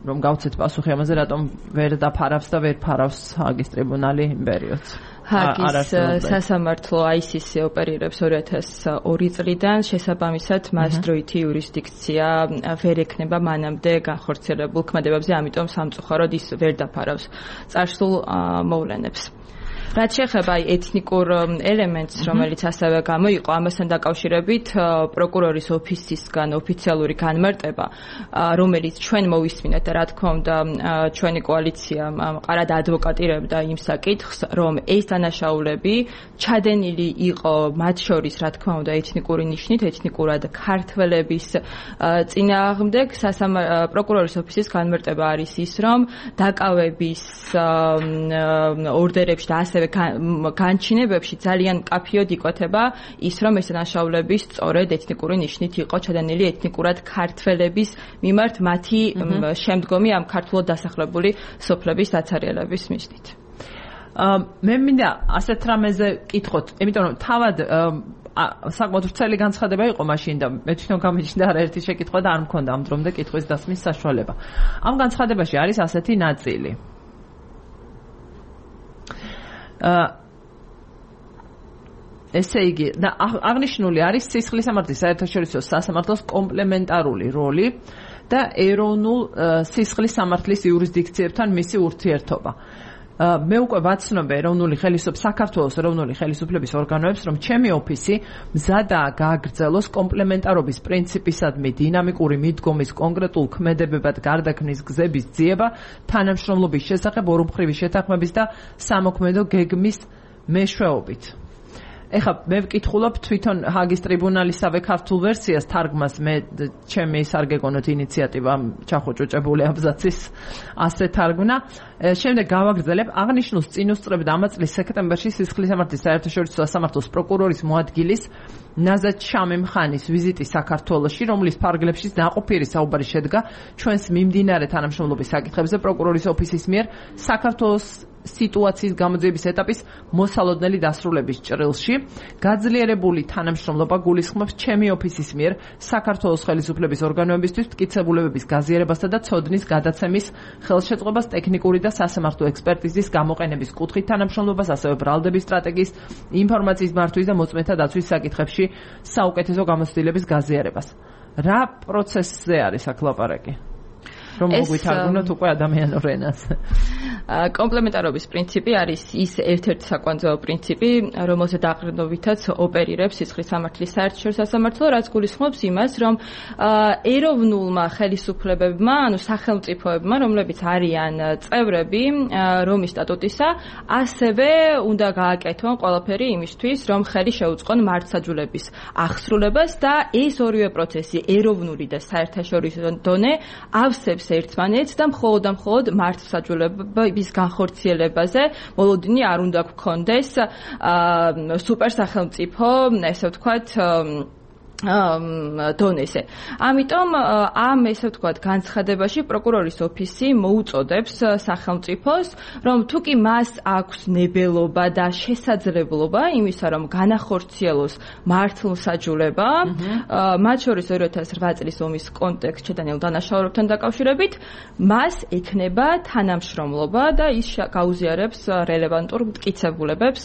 რომ გავცეთ პასუხი ამაზე რატომ ვერ დაფარავს და ვერ ფარავს ჰააგის ტრიბუნალი იმ პერიოდს ჰააგის სასამართლო აი სი სი ოპერირებს ორი ათას ორი წლიდან შესაბამისად მას დროითი იურისდიქცია ვერ ექნება მანამდე განხორციელებულ ქმედებებზე ამიტომ სამწუხაროდ ის ვერ დაფარავს წარსულ მოვლენებს რაც შეეხება ეთნიკურ ელემენტს, რომელიც ასევე გამოიყო ამასთან დაკავშირებით პროკურორის ოფისისგან ოფიციალური განმარტება, რომელიც ჩვენ მოვისმინეთ და რა თქმა უნდა ჩვენი კოალიცია მყარად ადვოკატირებდა იმ საკითხს, რომ ეს დანაშაულები ჩადენილი იყო მათ შორის, რა თქმა უნდა, ეთნიკური ნიშნით, ეთნიკურად ქართველების წინააღმდეგ. პროკურორის ოფისის განმარტება არის ის, რომ დაკავების ორდერებში და ასევე განჩინებებში ძალიან მკაფიოდ იკვეთება ის, რომ ეს დანაშაულები სწორედ ეთნიკური ნიშნით იყო ჩადენილი ეთნიკურად ქართველების მიმართ მათი შემდგომი ამ ქართულად დასახლებული სოფლების დაცარიელების მიზნით. მე მინდა ასეთ რამეზე კითხოთ, იმიტომ რომ თავად საკმაოდ ვრცელი განცხადება იყო მაშინ და მე თვითონ გამიჩნდა არაერთი შეკითხვა და არ მქონდა ამ დრომდე კითხვის დასმის საშუალება. ამ განცხადებაში არის ასეთი ნაწილი. ესე იგი, და აღნიშნული არის სისხლის სამართლის საერთაშორისო სასამართლოს კომპლემენტარული როლი და ეროვნულ სისხლის სამართლის იურისდიქციებთან მისი ურთიერთობა. მე უკვე ვაცნობ ეროვნული ხელისუფლების საქართველოს ეროვნული ხელისუფლების ორგანოებს, რომ ჩემი ოფისი მზადაა გააგრძელოს კომპლემენტარობის პრინციპისადმი დინამიკური მიდგომის კონკრეტულ ქმედებებად გარდაქმნის გზების ძიება თანამშრომლობის შესახებ ორმხრივი შეთანხმების და სამოქმედო გეგმის მეშვეობით. ეხლა მე ვკითხულობ თვითონ ჰაგის ტრიბუნალისავე ქართულ ვერსიას თარგმას მე ჩემი სარგეგონოთ ინიციატივა ჩახოჭოჭებული აბზაცის ასე თარგმნა. შემდეგ გავაგრძელებ აღნიშნულს წინ უსწრებდა ამ წლის სექტემბერში სისხლის სამართლის საერთაშორისო სასამართლოს პროკურორის მოადგილის ნაზად შამემხანის ვიზიტი საქართველოში, რომლის ფარგლებშიც ნაყოფიერი საუბარი შედგა ჩვენს მიმდინარე თანამშრომლობის საკითხებზე პროკურორის ოფისის მიერ საქართველოს სიტუაციის გამოძიების ეტაპის მოსალოდნელი დასრულების ჭრილში. გაძლიერებული თანამშრომლობა გულისხმობს ჩემი ოფისის მიერ საქართველოს ხელისუფლების ორგანოებისთვის მტკიცებულებების გაზიარებასა და ცოდნის გადაცემის ხელშეწყობას ტექნიკური და სასამართლო ექსპერტიზის გამოყენების კუთხით თანამშრომლობას, ასევე ბრალდების სტრატეგიის, ინფორმაციის მართვის და მოწმეთა დაცვის საკითხებში საუკეთესო გამოცდილების გაზიარებას. რა პროცესზე არის აქ ლაპარაკი? რომ მოგვითარგმნოთ უკვე ადამიანურ ენას. კომპლემენტარობის პრინციპი არის ის ერთ-ერთი საკვანძაო პრინციპი, რომელზეც დაყრდნობითაც ოპერირებს სისხლის სამართლის საერთაშორისო სასამართლო, რაც გულისხმობს იმას, რომ ეროვნულმა ხელისუფლებებმა, ანუ სახელმწიფოებმა, რომლებიც არიან წევრები რომის სტატუტისა, ასევე უნდა გააკეთონ ყველაფერი იმისთვის, რომ ხელი შეუწყონ მართლმსაჯულების აღსრულებას და ეს ორივე პროცესი, ეროვნული და საერთაშორისო დონე, ავსებს ერთმანეთს და მხოლოდ და მხოლოდ მართლმსაჯულების განხორციელებაზე მოლოდინი არ უნდა გქონდეს სუპერსახელმწიფო, ესე ვთქვათ, დონეზე. ამიტომ ამ ესე ვთქვათ განცხადებაში პროკურორის ოფისი მოუწოდებს სახელმწიფოს, რომ თუ კი მას აქვს ნებელობა და შესაძლებლობა იმისა, რომ განახორციელოს მართლმსაჯულება, მათ შორის ორი ათას რვა წლის ომის კონტექსტში დანიელ დანაშაულებთან დაკავშირებით, მას ექნება თანამშრომლობა და ის გაუზიარებს რელევანტურ მტკიცებულებებს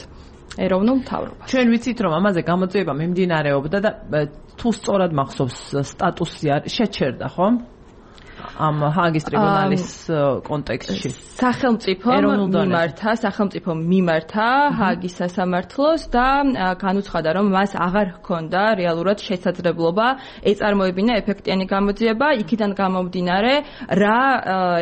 ეროვნულ მთავრობას. ჩვენ ვიცით, რომ ამაზე გამოძიება მიმდინარეობდა და თუ სწორად მახსოვს სტატუსი შეჩერდა, ხო? ამ ჰაგის ტრიბუნალის კონტექსტში. სახელმწიფომ მიმართა, სახელმწიფომ მიმართა ჰაგის სასამართლოს და განუცხადა, რომ მას აღარ ჰქონდა რეალურად შესაძლებლობა ეწარმოებინა ეფექტიანი გამოძიება, იქიდან გამომდინარე, რა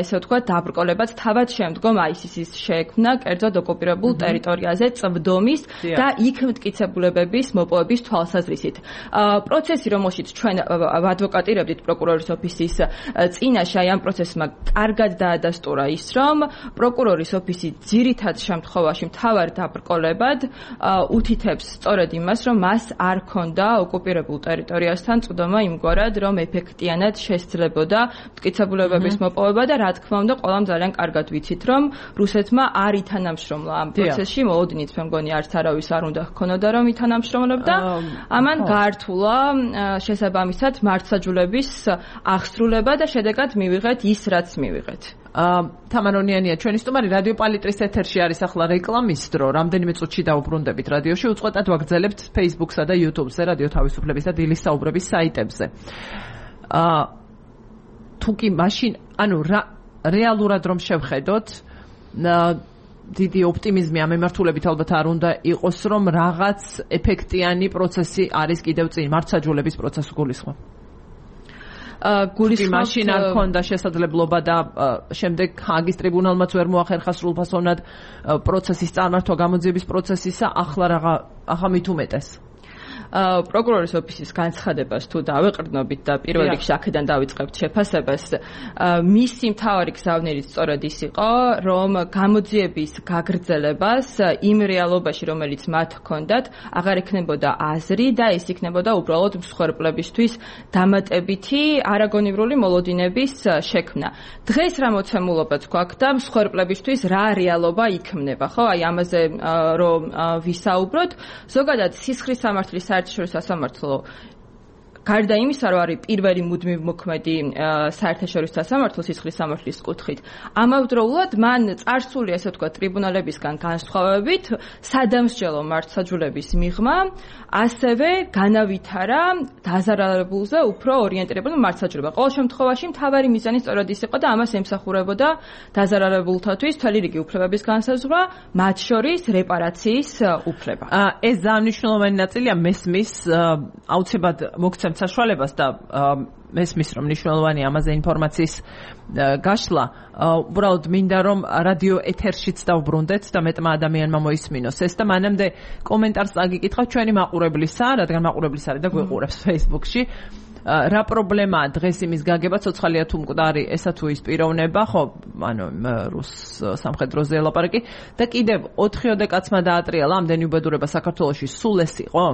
ესე ვთქვათ, დაბრკოლებაც თავად შემდგომ აისისის შეექმნა კერძოდ ოკუპირებულ ტერიტორიაზე წვდომის და იქ მტკიცებულებების მოპოვების თვალსაზრისით. პროცესი, რომელშიც ჩვენ ადვოკატირებდით პროკურორის ოფისის წინაშე აი ამ პროცესმა კარგად დაადასტურა ის, რომ პროკურორის ოფისი ძირითად შემთხვევაში მთავარ დაბრკოლებად უთითებს სწორედ იმას, რომ მას არ ჰქონდა ოკუპირებულ ტერიტორიასთან წვდომა იმგვარად, რომ ეფექტიანად შესძლებოდა მტკიცებულებების მოპოვება და რა თქმა უნდა, ყველამ ძალიან კარგად ვიცით, რომ რუსეთმა არ ითანამშრომლა ამ პროცესში, მოლოდინით მე მგონი არც არავის არ უნდა ჰქონოდა, რომ ითანამშრომლობდა. ამან გაართულა შესაბამისად მართლმსაჯულების აღსრულება და შედეგად მივიღეთ ის, რაც მივიღეთ. თამარონიანია ჩვენი სტუმარი, რადიო პალიტრის ეთერში არის ახლა რეკლამის დრო. რამდენიმე წუთში დავუბრუნდებით რადიოში, უწყვეტად ვაგრძელებთ Facebook-სა და YouTube-ზე, რადიო თავისუფლების და დილის საუბრების საიტებზე. თუ კი მაშინ, ანუ რეალურად რომ შევხედოთ, დიდი ოპტიმიზმი ამ მიმართულებით ალბათ არ უნდა იყოს, რომ რაღაც ეფექტიანი პროცესი არის კიდევ წინ, მართლმსაჯულების პროცესს გულისხმობ. გულისხმობ მაშინ არ ქონდა შესაძლებლობა და შემდეგ ჰაგის ტრიბუნალმაც ვერ მოახერხა სრულფასოვნად პროცესის წარმართვა გამოძიების პროცესისა, ახლა რაღა ახლა მით უმეტეს. პროკურორის ოფისის განცხადებას თუ დავეყრდნობით და პირველ რიგში აქედან დავიწყებთ შეფასებას, მისი მთავარი გზავნილი სწორედ ის იყო, რომ გამოძიების გაგრძელებას იმ რეალობაში, რომელიც მათ ჰქონდათ, აღარ ექნებოდა აზრი და ეს იქნებოდა უბრალოდ მსხვერპლებისთვის დამატებითი არაგონივრული მოლოდინების შექმნა. დღეს რა მოცემულობაც გვაქვს და მსხვერპლებისთვის რა რეალობა იქმნება, ხო? აი ამაზე რომ ვისაუბროთ, ზოგადად სისხლის სამართლის საერთაშორისო სასამართლო გარდა იმისა, რომ არის პირველი მუდმივ მოქმედი საერთაშორისო სასამართლო სისხლის სამართლის კუთხით, ამავდროულად მან წარსული, ასე ვთქვათ, ტრიბუნალებისგან განსხვავებით, სადამსჯელო მართლმსაჯულების მიღმა ასევე განავითარა დაზარალებულზე უფრო ორიენტირებული მართლმსაჯულება. ყოველ შემთხვევაში მთავარი მიზანი სწორედ ის იყო და ამას ემსახურებოდა დაზარალებულთათვის მთელი რიგი უფლებების განსაზღვრა, მათ შორის რეპარაციის უფლება. ეს ძალიან მნიშვნელოვანი ნაწილია მესმის აუცილებლად მოგცემ საშუალებას და მესმის რომ მნიშვნელოვანი ამაზე ინფორმაციის გაშლა, უბრალოდ მინდა რომ რადიო ეთერშიც დავბრუნდეთ და მეტმა ადამიანმა მოისმინოს ეს და მანამდე კომენტარს წაგიკითხავ ჩვენი მაყურებლისა, რადგან მაყურებლის არის და გვეყურებს Facebook-ში. რა პრობლემაა დღეს იმის გაგება, ცოცხალია თუ მკვდარი, ესა თუ ის პიროვნება, ხო, ანუ რუს სამხედროზე ელაპარაკი და კიდევ ოთხიოდე კაცმა დაატრიალა ამდენი უბედურება საქართველოში, სულ ეს იყო?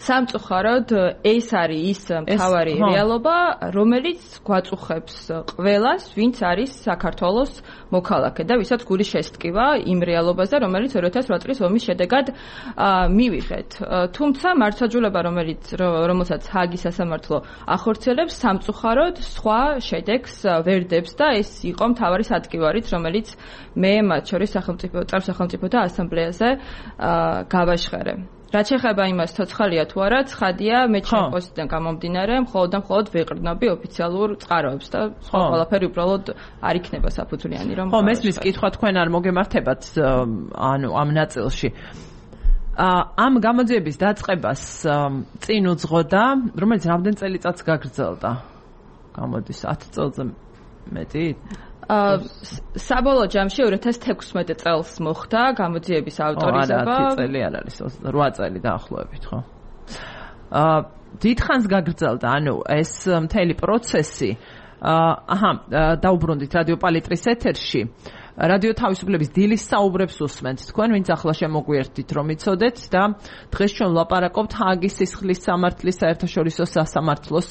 სამწუხაროდ ეს არის ის მთავარი რეალობა, რომელიც გვაწუხებს ყველას, ვინც არის საქართველოს მოქალაქე და ვისაც გული შესტკივა იმ რეალობაზე, რომელიც ორი ათას ოთხ წლის ომის შედეგად მივიღეთ. თუმცა მართლმსაჯულება, რომელიც რომელსაც ჰაგის სასამართლო ახორციელებს, სამწუხაროდ სხვა შედეგს ვერ დებს და ეს იყო მთავარი სატკივარით, რომელიც მე მათ შორის სახელმწიფო წარმოსახელმწიფოთა ასამბლეაზე გავაჟღერე. რაც შეეხება იმას, ცოცხალია თუ არა, ცხადია, მე ჩემ პოსტიდან გამომდინარე, მხოლოდ და მხოლოდ ვეყრდნობი ოფიციალურ წყაროებს და სხვა ყველაფერი უბრალოდ არ იქნება საფუძვლიანი, რომ ხო, მესმის კითხვა თქვენ არ მოგემართებათ ანუ ამ ნაწილში. ამ გამოძიების დაწყებას წინ უძღოდა, რომელიც რამდენ წელიწადს გაგრძელდა? გამოდის ათი წელზე მეტი? საბოლოო ჯამში ორი ათას თექვსმეტ წელს მოხდა გამოძიების ავტორიზება. ათი წელი არ არის, რვა წელი დაახლოებით, ხო? აა დიდხანს გაგრძელდა, ანუ ეს მთელი პროცესი. აჰა, დაუბრუნდით რადიო პალიტრის ეთერში. რადიო თავისუფლების დილის საუბრებს უსმენთ თქვენ, ვინც ახლა შემოგვიერთდით, რომ იცოდეთ და დღეს ჩვენ ვლაპარაკობთ ჰაგის სისხლის სამართლის საერთაშორისო სასამართლოს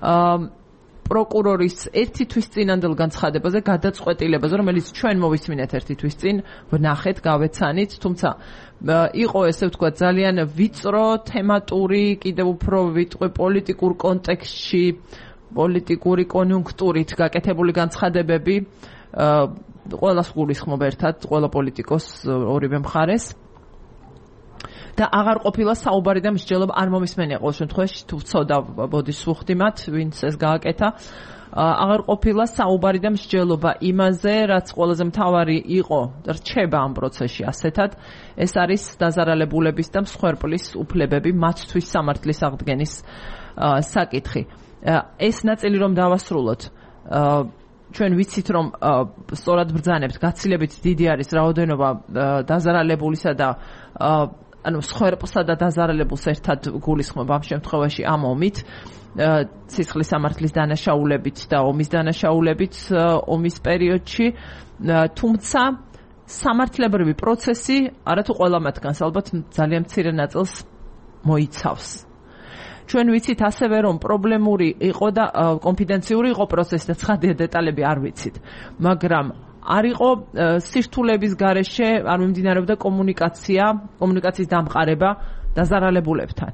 აა პროკურორის ერთი თვის წინანდელ განცხადებაზე, გადაწყვეტილებაზე, რომელიც ჩვენ მოვისმინეთ ერთი თვის წინ, ვნახეთ, გავეცანით, თუმცა იყო ესე ვთქვათ ძალიან ვიწრო, თემატური, კიდევ უფრო ვიტყვი პოლიტიკურ კონტექსტში, პოლიტიკური კონიუნქტურით გაკეთებული განცხადებები, ყველას გულისხმობ ერთად, ყველა პოლიტიკოს ორივე მხარეს. და აღარ ყოფილა საუბარი და მსჯელობა არ მომისმენია ყოველ შემთხვევაში თუ ვწოდა ბოდის ვუხდი მათ ვინც ეს გააკეთა აღარ ყოფილა საუბარი და მსჯელობა იმაზე რაც ყველაზე მთავარი იყო რჩება ამ პროცესში ასეთად ეს არის დაზარალებულების და მსხვერპლის უფლებები მათთვის სამართლის აღდგენის საკითხი ეს ნაწილი რომ დავასრულოთ ჩვენ ვიცით რომ სწორად ბრძანებთ გაცილებით დიდი არის რაოდენობა დაზარალებულისა და ანუ მსხვერპლსა და დაზარალებულს ერთად გულისხმობ ამ შემთხვევაში ამ ომით სისხლის სამართლის დანაშაულებით და ომის დანაშაულებით ომის პერიოდში თუმცა სამართლებრივი პროცესი არათუ ყველა მათგანს ალბათ ძალიან მცირე ნაწილს მოიცავს ჩვენ ვიცით ასევე რომ პრობლემური იყო და კონფიდენციური იყო პროცესი და ცხადია დეტალები არ ვიცით მაგრამ არ იყო სირთულების გარეშე არ მიმდინარეობდა კომუნიკაცია, კომუნიკაციის დამყარება დაზარალებულებთან.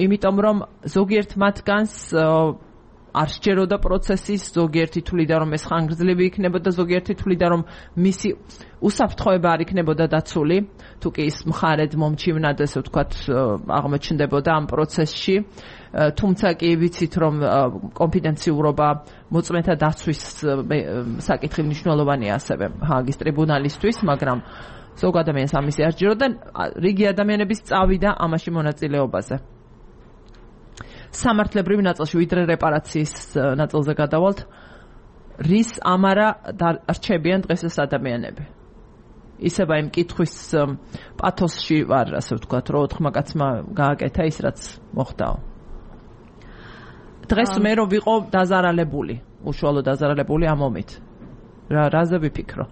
იმიტომ რომ ზოგიერთ მათგანს არ სჯეროდა პროცესის, ზოგიერთი თვლიდა რომ ეს ხანგრძლივი იქნებოდა, ზოგიერთი თვლიდა რომ მისი უსაფრთხოება არ იქნებოდა დაცული, თუ კი ის მხარედ მომჩივნად, ესე ვთქვათ, აღმოჩნდებოდა ამ პროცესში. თუმცა კი ვიცით რომ კონფიდენციურობა მოწმეთა დაცვის საკითხი მნიშვნელოვანია ასევე ჰააგის ტრიბუნალისთვის, მაგრამ ზოგ ადამიანს ამისი არ სჯეროდა, რიგი ადამიანების წავიდა ამაში მონაწილეობაზე. სამართლებრივ ნაწილში ვიდრე რეპარაციის ნაწილზე გადავალთ, რის ამარა დარჩებიან დღეს ეს ადამიანები. ისება იმ კითხვის პათოსში ვარ, ასე ვთქვათ, რომ ოთხმა კაცმა გააკეთა ის, რაც მოხდაო. დღეს მე რომ ვიყო დაზარალებული, უშუალო დაზარალებული ამ ომით. რა რაზე ვიფიქრო?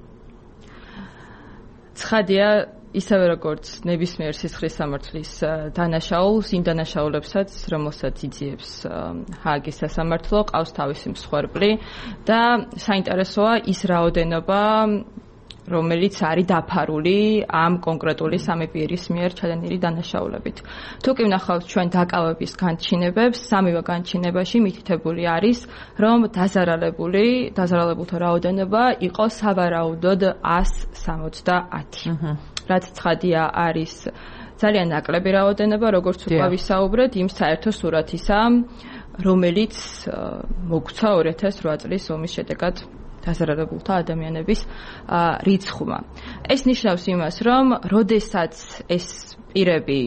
ცხადია, ისევე როგორც ნებისმიერ სისხლის სამართლის დანაშაულს, იმ დანაშაულებსაც, რომელსაც იძიებს ჰააგის სასამართლო, ყავს თავისი მსხვერპლი და საინტერესოა ის რაოდენობა, რომელიც არის დაფარული ამ კონკრეტული სამი პირის მიერ ჩადენილი დანაშაულებით. თუ კი ვნახავთ ჩვენ დაკავების განჩინებებს, სამივე განჩინებაში მითითებული არის, რომ დაზარალებული, დაზარალებულთა რაოდენობა იყო სავარაუდოდ ათს სამოცდაათი. რაც ცხადია არის ძალიან ნაკლები რაოდენობა, როგორც უკვე ვისაუბრეთ, იმ საერთო სურათისა, რომელიც მოგვცა ორი ათას რვა წლის ომის შედეგად დაზარალებულთა ადამიანების რიცხვმა. ეს ნიშნავს იმას, რომ როდესაც ეს პირები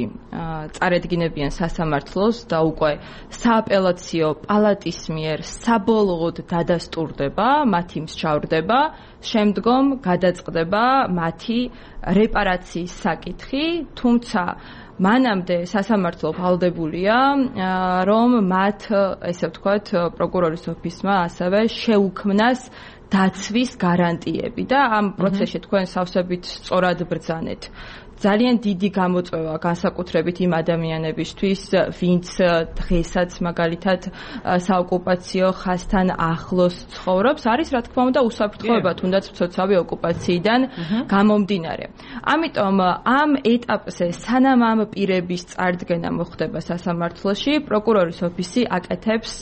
წარედგინებიან სასამართლოს და უკვე სააპელაციო პალატის მიერ საბოლოოდ დადასტურდება, მათი მსჯავრდება, შემდგომ გადაწყდება მათი რეპარაციის საკითხი, თუმცა მანამდე სასამართლო ვალდებულია, რომ მათ, ესე ვთქვათ, პროკურორის ოფისმა ასევე შეუქმნას დაცვის გარანტიები და ამ პროცესში თქვენ სავსებით სწორად ბრძანეთ. ძალიან დიდი გამოწვევა განსაკუთრებით იმ ადამიანებისთვის, ვინც დღესაც მაგალითად საოკუპაციო ხაზთან ახლოს ცხოვრობს, არის რა თქმა უნდა უსაფრთხოება, თუნდაც მცოცავი ოკუპაციიდან გამომდინარე. ამიტომ ამ ეტაპზე, სანამ ამ პირების წარდგენა მოხდება სასამართლოში, პროკურორის ოფისი აკეთებს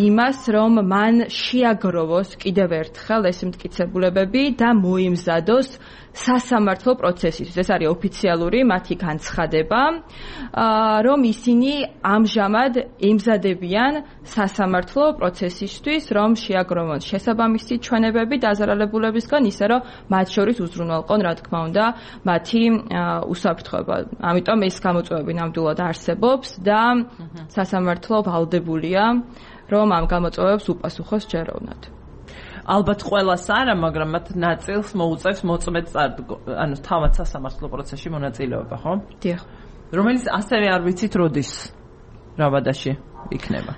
იმას, რომ მან შეაგროვოს კიდევ ერთხელ ეს მტკიცებულებები და მოიმზადოს სასამართლო პროცესისთვის. ეს არის ოფიციალური მათი განცხადება, რომ ისინი ამჟამად ემზადებიან სასამართლო პროცესისთვის, რომ შეაგროვონ შესაბამისი ჩვენებები დაზარალებულებისგან, ისე რომ მათ შორის უზრუნველყონ, რა თქმა უნდა, მათი უსაფრთხოება. ამიტომ ეს გამოწვევები ნამდვილად არსებობს და სასამართლო ვალდებულია, რომ ამ გამოწვევებს უპასუხოს ჯეროვნად. ალბათ ყველას არა, მაგრამ მათ ნაწილს მოუწევს მოწმედ ანუ თავად სასამართლო პროცესში მონაწილეობა, ხო? დიახ. რომელიც ასევე არ ვიცით როდის რა ვადაში იქნება.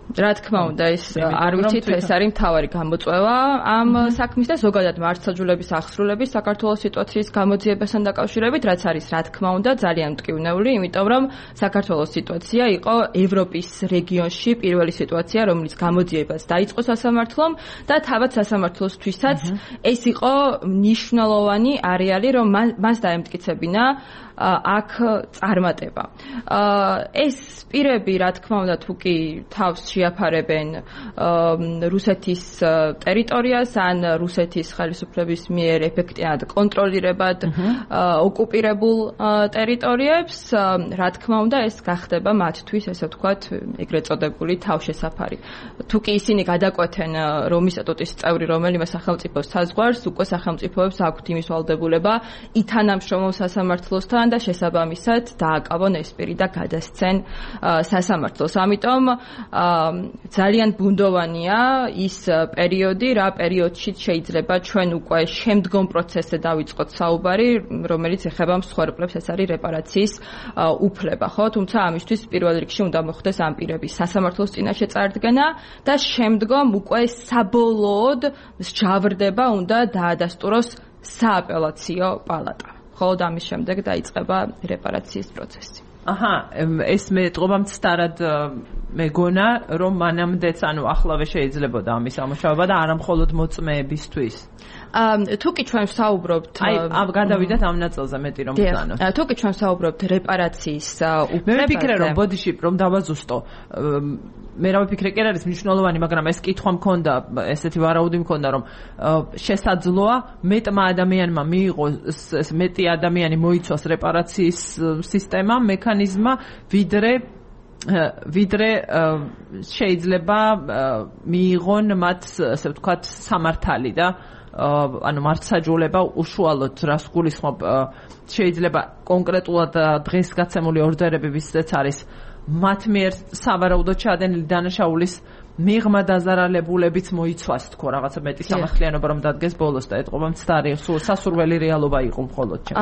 რა თქმა უნდა, ეს არ ვიცით, ეს არის მთავარი გამოწვევა ამ საქმის და ზოგადად მართლმსაჯულების აღსრულების საქართველოს სიტუაციის გამოძიებასთან დაკავშირებით, რაც არის რა თქმა უნდა ძალიან მტკივნეული, იმიტომ რომ საქართველოს სიტუაცია იყო ევროპის რეგიონში პირველი სიტუაცია, რომელიც გამოძიებას დაიწყო სასამართლომ და თავად სასამართლოსთვისაც ეს იყო მნიშვნელოვანი არეალი, რომ მას დაემტკიცებინა აქ წარმატება. ეს პირები, რა თქმა უნდა, თუ კი თავს შეაფარებენ რუსეთის ტერიტორიას ან რუსეთის ხელისუფლების მიერ ეფექტიანად კონტროლირებად ოკუპირებულ ტერიტორიებს, რა თქმა უნდა, ეს გახდება მათთვის, ესე ვთქვათ, ეგრეთ წოდებული თავშესაფარი. თუ კი ისინი გადაკვეთენ რომის სტატუტის წევრი რომელიმე სახელმწიფოს საზღვარს, უკვე სახელმწიფოებს აქვთ იმის ვალდებულება ითანამშრომლონ სასამართლოსთან და შესაბამისად დააკავონ ეს პირი და გადასცენ სასამართლოს. ამიტომ ძალიან ბუნდოვანია ის პერიოდი, რა პერიოდში შეიძლება ჩვენ უკვე შემდგომ პროცესზე დავიწყოთ საუბარი, რომელიც ეხება მსხვერპლებს, ეს არის რეპარაციის უფლება, ხო? თუმცა ამისთვის პირველ რიგში უნდა მოხდეს ამ პირების სასამართლოს წინაშე წარდგენა და შემდგომ უკვე საბოლოოდ მსჯავრდება უნდა დაადასტუროს სააპელაციო პალატა. ხოლო ამის შემდეგ დაიწყება რეპარაციის პროცესი. აჰა, ეს მე ტყობამ ცდარად მეგონა, რომ მანამდეც, ანუ ახლავე შეიძლებოდა ამის ამუშავება და არა მხოლოდ მოწმეებისთვის. თუ კი ჩვენ ვსაუბრობთ აი ამ გადავიდეთ ამ ნაწილზე მეტი რომ ვთანოთ. თუ კი ჩვენ ვსაუბრობთ რეპარაციის უფლებაზე. მე ვფიქრე რომ ბოდიში რომ დავაზუსტო. მე რა ვფიქრე კი არის მნიშვნელოვანი, მაგრამ ეს კითხვა მქონდა, ესეთი ვარაუდი მქონდა რომ შესაძლოა მეტმა ადამიანმა მიიღოს ეს მეტი ადამიანი მოიცვას რეპარაციის სისტემა, მექანიზმა, ვიდრე ვიდრე შეიძლება მიიღონ მათ ასე ვთქვათ სამართალი და ანუ მართლმსაჯულება უშუალოდ რას გულისხმობ შეიძლება კონკრეტულად დღეს გაცემული ორდერები ვისაც არის მათ მიერ სავარაუდოდ ჩადენილი დანაშაულის მიღმა დაზარალებულებიც მოიცვას თქო რაღაცა მეტი სამართლიანობა რომ დადგეს ბოლოს და ეთყობა მცდარი სასურველი რეალობა იყო მხოლოდ ჩემ.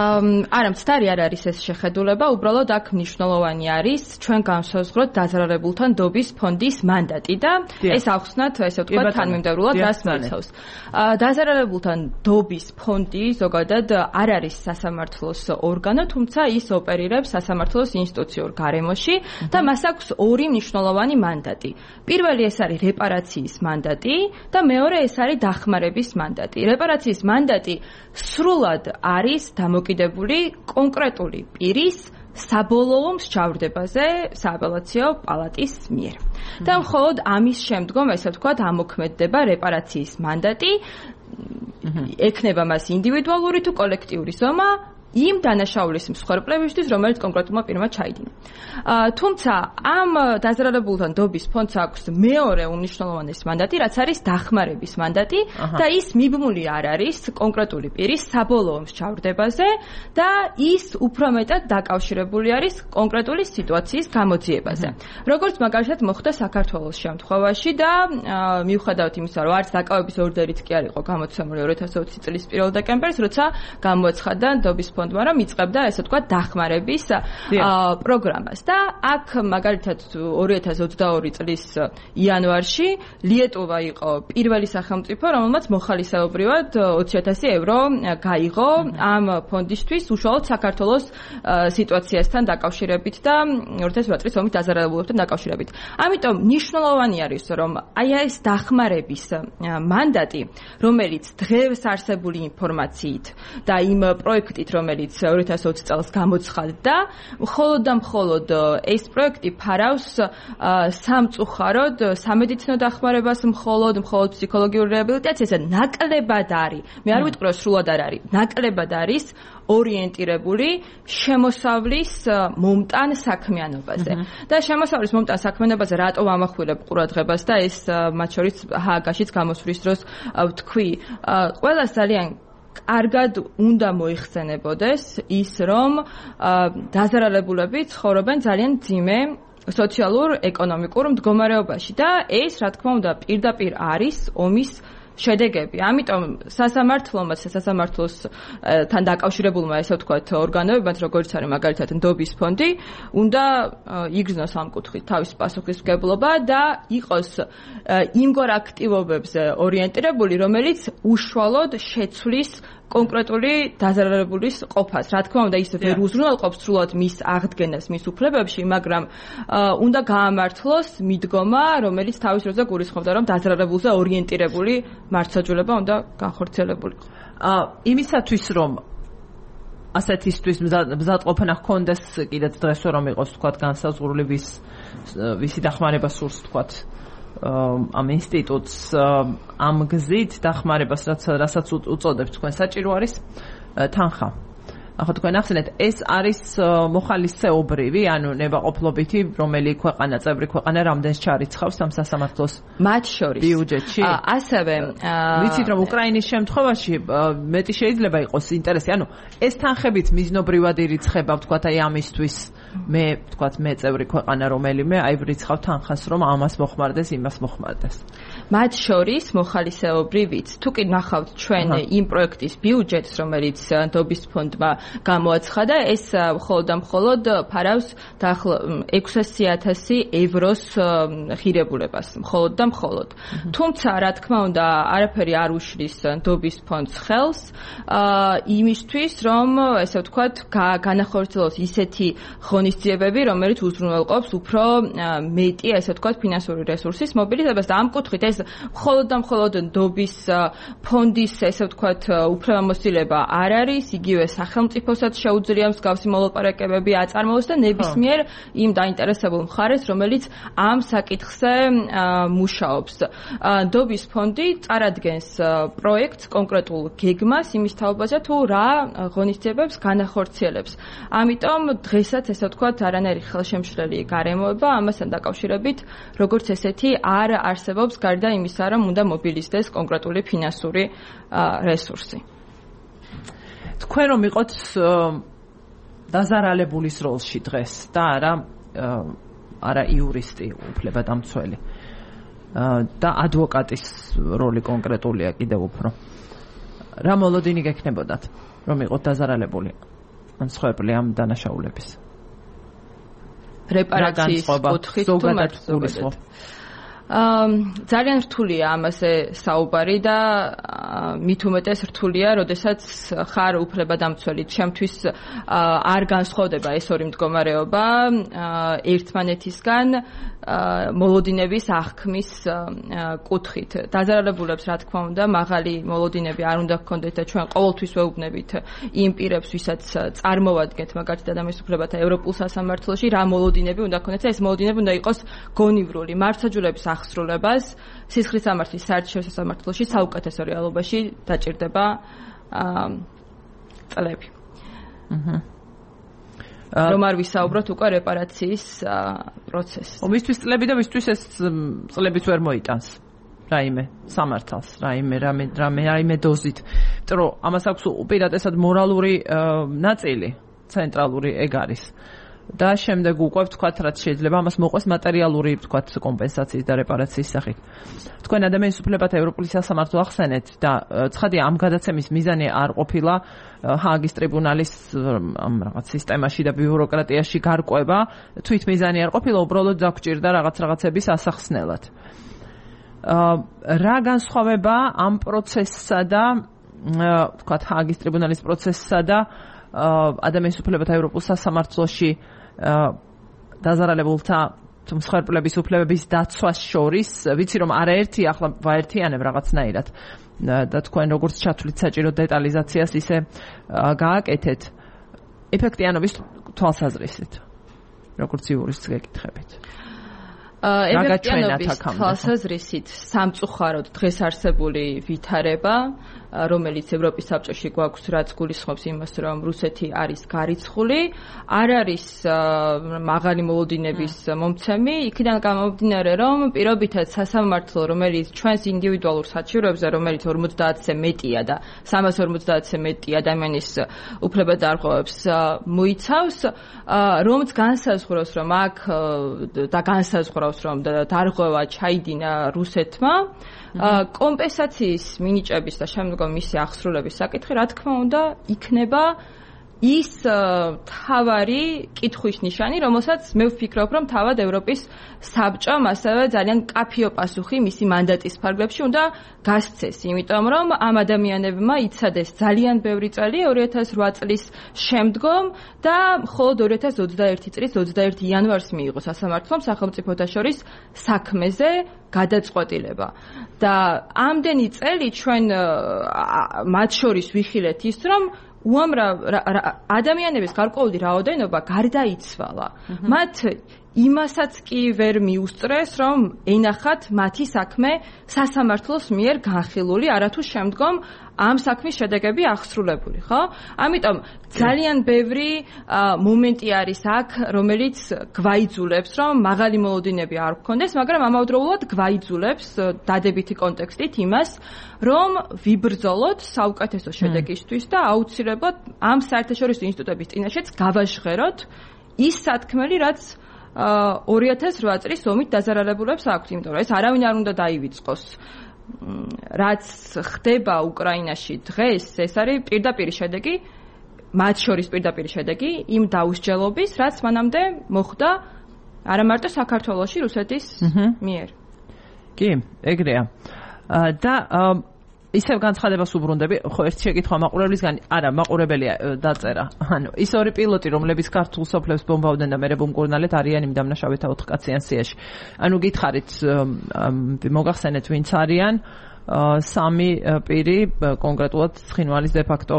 არა, მცდარი არ არის ეს შეხედულება, უბრალოდ აქ მნიშვნელოვანი არის ჩვენ განსაზღვროთ დაზარალებულთა ნდობის ფონდის მანდატი და ეს ახსნათ ესე ვთქვათ თანმიმდევრულად რას მოიცავს. დაზარალებულთა ნდობის ფონდი ზოგადად არ არის სასამართლოს ორგანო, თუმცა ის ოპერირებს სასამართლოს ინსტიტუციურ გარემოში და მას აქვს ორი მნიშვნელოვანი მანდატი. პირველი ეს არის რეპარაციის მანდატი და მეორე ეს არის დახმარების მანდატი. რეპარაციის მანდატი სრულად არის დამოკიდებული კონკრეტული პირის საბოლოო მსჯავრდებაზე სააპელაციო პალატის მიერ. და მხოლოდ ამის შემდგომ, ესე ვთქვათ, ამოქმედდება რეპარაციის მანდატი, ექნება მას ინდივიდუალური თუ კოლექტიური ზომა იმ დანაშაულის მსხვერპლებისთვის, რომელიც კონკრეტულმა პირმა ჩაიდინა. თუმცა ამ დაზარალებულთა ნდობის ფონდს აქვს მეორე უმნიშვნელოვანესი მანდატი, რაც არის დახმარების მანდატი და ის მიბმული არ არის კონკრეტული პირის საბოლოო მსჯავრდებაზე და ის უფრო მეტად დაკავშირებული არის კონკრეტული სიტუაციის გამოძიებაზე. როგორც მაგალითად მოხდა საქართველოს შემთხვევაში და მიუხედავად იმისა, რომ არც დაკავების ორდერით კი არ იყო გამოცემული ორი ათას ოცი წლის პირველ დეკემბერს, როცა გამოაცხადა ნდობის ფონდმა, რომ იწყებდა ესე ვთქვათ დახმარების პროგრამას და აქ მაგალითად ორი ათას ოცდაორი წლის იანვარში ლიეტუვა იყო პირველი სახელმწიფო, რომელმაც მოხალისეობრივად ოცი ათასი ევრო გაიღო ამ ფონდისთვის უშუალოდ საქართველოს სიტუაციასთან დაკავშირებით და ორი ათას ოთხ წლის ომის დაზარალებულებთან დაკავშირებით. ამიტომ მნიშვნელოვანი არის, რომ აი ეს დახმარების მანდატი, რომელიც დღეს არსებული ინფორმაციით და იმ პროექტით, რომელიც ორი ათას ოცი წელს გამოცხადდა, მხოლოდ და მხოლოდ ეს პროექტი ფარავს სამწუხაროდ სამედიცინო დახმარებას, მხოლოდ მხოლოდ ფსიქოლოგიური რეაბილიტაციას და ნაკლებად არის, მე არ ვიტყვი რომ სრულად არ არის, ნაკლებად არის ორიენტირებული შემოსავლის მომტან საქმიანობაზე. და შემოსავლის მომტან საქმიანობაზე რატო ვამახვილებ ყურადღებას და ეს მათ შორის ჰააგაშიც გამოსვლის დროს ვთქვი, ყველას ძალიან კარგად უნდა მოიხსენებოდეს ის, რომ დაზარალებულები ცხოვრობენ ძალიან მძიმე სოციალურ ეკონომიკურ მდგომარეობაში და ეს რა თქმა უნდა პირდაპირ არის ომის შედეგები. ამიტომ სასამართლომაც სასამართლოსთან დაკავშირებულმა ესე ვთქვათ ორგანოებმაც, როგორც არის მაგალითად ნდობის ფონდი, უნდა იგრძნოს ამ კუთხით თავის პასუხისმგებლობა და იყოს იმგვარ აქტივობებზე ორიენტირებული, რომელიც უშუალოდ შეცვლის კონკრეტული დაზარალებულის ყოფას. რა თქმა უნდა, ის ვერ უზრუნველყოფს სრულად მის აღდგენას მის უფლებებში, მაგრამ უნდა გაამართლოს მიდგომა, რომელიც თავის დროზე გულისხმობდა, რომ დაზარალებულზე ორიენტირებული მართლმსაჯულება უნდა განხორციელებულიყო. იმისათვის, რომ ასეთისთვის მზადყოფნა ჰქონდეს კიდეც დღეს რომ იყოს თქვათ განსაზღვრული ვის ვისი დახმარება სურს თქვათ ამ ინსტიტუტს ამ გზით დახმარებას რასაც უწოდებთ თქვენ საჭირო არის თანხა. ახლა თქვენ ახსენეთ ეს არის მოხალისეობრივი, ანუ ნებაყოფლობითი, რომელი ქვეყანა, წევრი ქვეყანა რამდენს ჩარიცხავს ამ სასამართლოს მათ შორის ბიუჯეტში. ასევე ვიცით რომ უკრაინის შემთხვევაში მეტი შეიძლება იყოს ინტერესი, ანუ ეს თანხებით მიზნობრივად ირიცხება, ვთქვათ, აი ამისთვის მე ვთქვათ მე წევრი ქვეყანა რომელიმე, აი ვრიცხავ თანხას, რომ ამას მოხმარდეს, იმას მოხმარდეს. მათ შორის მოხალისეობრივიც, თუ კი ნახავთ ჩვენ იმ პროექტის ბიუჯეტს, რომელიც ნდობის ფონდმა გამოაცხადა, ეს მხოლოდ და მხოლოდ ფარავს ექვსასი ათასი ევროს ღირებულებას, მხოლოდ და მხოლოდ. თუმცა, რა თქმა უნდა, არაფერი არ უშლის ნდობის ფონდს ხელს იმისთვის, რომ ესე ვთქვათ, განახორციელოს ისეთი ღონისძიებები ღონისძიებები, რომელიც უზრუნველყოფს უფრო მეტი, ესე ვთქვათ, ფინანსური რესურსის მობილიზებას და ამ კუთხით ეს მხოლოდ და მხოლოდ ნდობის ფონდის, ესე ვთქვათ, უფლებამოსილება არ არის, იგივე სახელმწიფოსაც შეუძლია მსგავსი მოლაპარაკებები აწარმოოს და ნებისმიერ იმ დაინტერესებულ მხარეს, რომელიც ამ საკითხზე მუშაობს. ნდობის ფონდი წარადგენს პროექტს, კონკრეტულ გეგმას იმის თაობაზე, თუ რა ღონისძიებებს განახორციელებს. ამიტომ დღესაც ესე ვთქვათ, არანაირი ხელშემშლელი გარემოება ამასთან დაკავშირებით, როგორც ესეთი არ არსებობს გარდა იმისა, რომ უნდა მობილიზდეს კონკრეტული ფინანსური რესურსი. თქვენ რომ იყოთ დაზარალებულის როლში დღეს და არა არა იურისტი, უფლებადამცველი და ადვოკატის როლი კონკრეტულია კიდევ უფრო. რა მოლოდინი გექნებოდათ, რომ იყოთ დაზარალებული ან სხვაებრივი ამ დანაშაულების? რეპარაციის კუთხით თუ მართლობად. აა ძალიან რთულია ამაზე საუბარი და მით უმეტეს რთულია, როდესაც ხარ უფლებადამცველი. ჩემთვის არ განსხვავდება ეს ორი მდგომარეობა ერთმანეთისგან მოლოდინების აღქმის კუთხით. დაზარალებულებს, რა თქმა უნდა, მაღალი მოლოდინები არ უნდა გქონდეთ და ჩვენ ყოველთვის ვეუბნებით იმ პირებს, ვისაც წარმოვადგენთ მაგალითად ადამიანის უფლებათა ევროპულ სასამართლოში, რა მოლოდინები უნდა გქონდეთ და ეს მოლოდინები უნდა იყოს გონივრული. მართლმსაჯულების აღსრულებას სისხლის სამართლის საერთაშორისო სასამართლოში საუკეთესო რეალობაში დაჭირდება წლები. აჰა. რომ არ ვისაუბროთ უკვე რეპარაციის პროცესზე. მისთვის წლები და მისთვის ეს წლებიც ვერ მოიტანს. რაიმე სამართალს, რაიმე რამე რამე რაიმე დოზით. იმიტომ რომ ამას აქვს უპირატესად მორალური ნაწილი, ცენტრალური ეგ არის. და შემდეგ უკვე ვთქვათ, რაც შეიძლება ამას მოყვეს მატერიალური, ვთქვათ, კომპენსაციის და რეპარაციის სახით. თქვენ ადამიანის უფლებათა ევროპული სასამართლო ახსენეთ და ცხადია ამ გადაცემის მიზანი არ ყოფილა ჰააგის ტრიბუნალის ამ რაღაც სისტემაში და ბიუროკრატიაში გარკვევა, თვით მიზანი არ ყოფილა, უბრალოდ დაგჭირდა რაღაც რაღაცების ასახსნელად. რა განსხვავება ამ პროცესსა და ვთქვათ ჰააგის ტრიბუნალის პროცესსა და ადამიანის უფლებათა ევროპულ სასამართლოში დაზარალებულთა მსხვერპლების უფლებების დაცვას შორის, ვიცი რომ არაერთი ახლა ვაერთიანებ რაღაცნაირად და თქვენ როგორც ჩათვლით საჭირო დეტალიზაციას ისე გააკეთეთ ეფექტიანობის თვალსაზრისით, როგორც იურისტს გეკითხებით. ეფექტიანობის თვალსაზრისით სამწუხაროდ დღეს არსებული ვითარება, რომელიც ევროპის საბჭოში გვაქვს, რაც გულისხმობს იმას, რომ რუსეთი არის გარიცხული, არ არის მაღალი მოლოდინების მომცემი, იქიდან გამომდინარე, რომ პირობითად სასამართლო, რომელიც ჩვენს ინდივიდუალურ საჩივრებზე, რომელიც ორმოცდაათზე მეტია და სამას ორმოცდაათზე მეტი ადამიანის უფლებადარღვევებს მოიცავს, რომც განსაზღვროს, რომ აქ და განსაზღვრავს, რომ დარღვევა ჩაიდინა რუსეთმა, კომპენსაციის მინიჭების და შემდგომ მისი აღსრულების საკითხი, რა თქმა უნდა, იქნება ის თავარი კითხვის ნიშანი, რომელსაც მე ვფიქრობ, რომ თავად ევროპის საბჭომ ასევე ძალიან კაფიო პასუხი მისი მანდატის ფარგლებში უნდა გასცეს, იმიტომ რომ ამ ადამიანებმა იცადეს ძალიან ბევრი წელი ორი ათას რვა წლის შემდგომ და მხოლოდ ორი ათას ოცდაერთი წლის ოცდაერთი იანვარს მიიღო სასამართლომ სახელმწიფოთა შორის საქმეზე გადაწყვეტილება. და ამდენი წელი ჩვენ მათ შორის ვიხილეთ ის, რომ უამრავ ადამიანების გარკვეული რაოდენობა გარდაიცვალა. მათ იმასაც კი ვერ მიუსწრეს, რომ ენახათ მათი საქმე სასამართლოს მიერ განხილული, არათუ შემდგომ ამ საქმის შედეგები აღსრულებული, ხო? ამიტომ ძალიან ბევრი მომენტი არის აქ, რომელიც გვაიძულებს, რომ მაღალი მოლოდინები არ გქონდეს, მაგრამ ამავდროულად გვაიძულებს დადებითი კონტექსტით იმას, რომ ვიბრძოლოთ საუკეთესო შედეგისთვის და აუცილებლად ამ საერთაშორისო ინსტიტუტების წინაშეც გავაჟღეროთ ის სათქმელი, რაც ორი ათას რვა წლის ომით დაზარალებულებს აქვთ, იმიტომ რომ ეს არავინ არ უნდა დაივიწყოს. რაც ხდება უკრაინაში დღეს, ეს არის პირდაპირი შედეგი, მათ შორის პირდაპირი შედეგი იმ დაუსჯელობის, რაც მანამდე მოხდა არა მარტო საქართველოში, რუსეთის მიერ. კი, ეგრეა. და ისევ განცხადებას უბრუნდები, ხო ერთ შეკითხვა მაყურებლისგან, არა, მაყურებელია დაწერა. ანუ ის ორი პილოტი, რომლებიც ქართულ სოფლებს ბომბავდნენ და მერე ბომბკურნალეთ არიან იმ დამნაშავეთა ოთხკაციან სიაში. ანუ გითხარით, მოგახსენეთ ვინც არიან სამი პირი, კონკრეტულად ცხინვალის დე-ფაქტო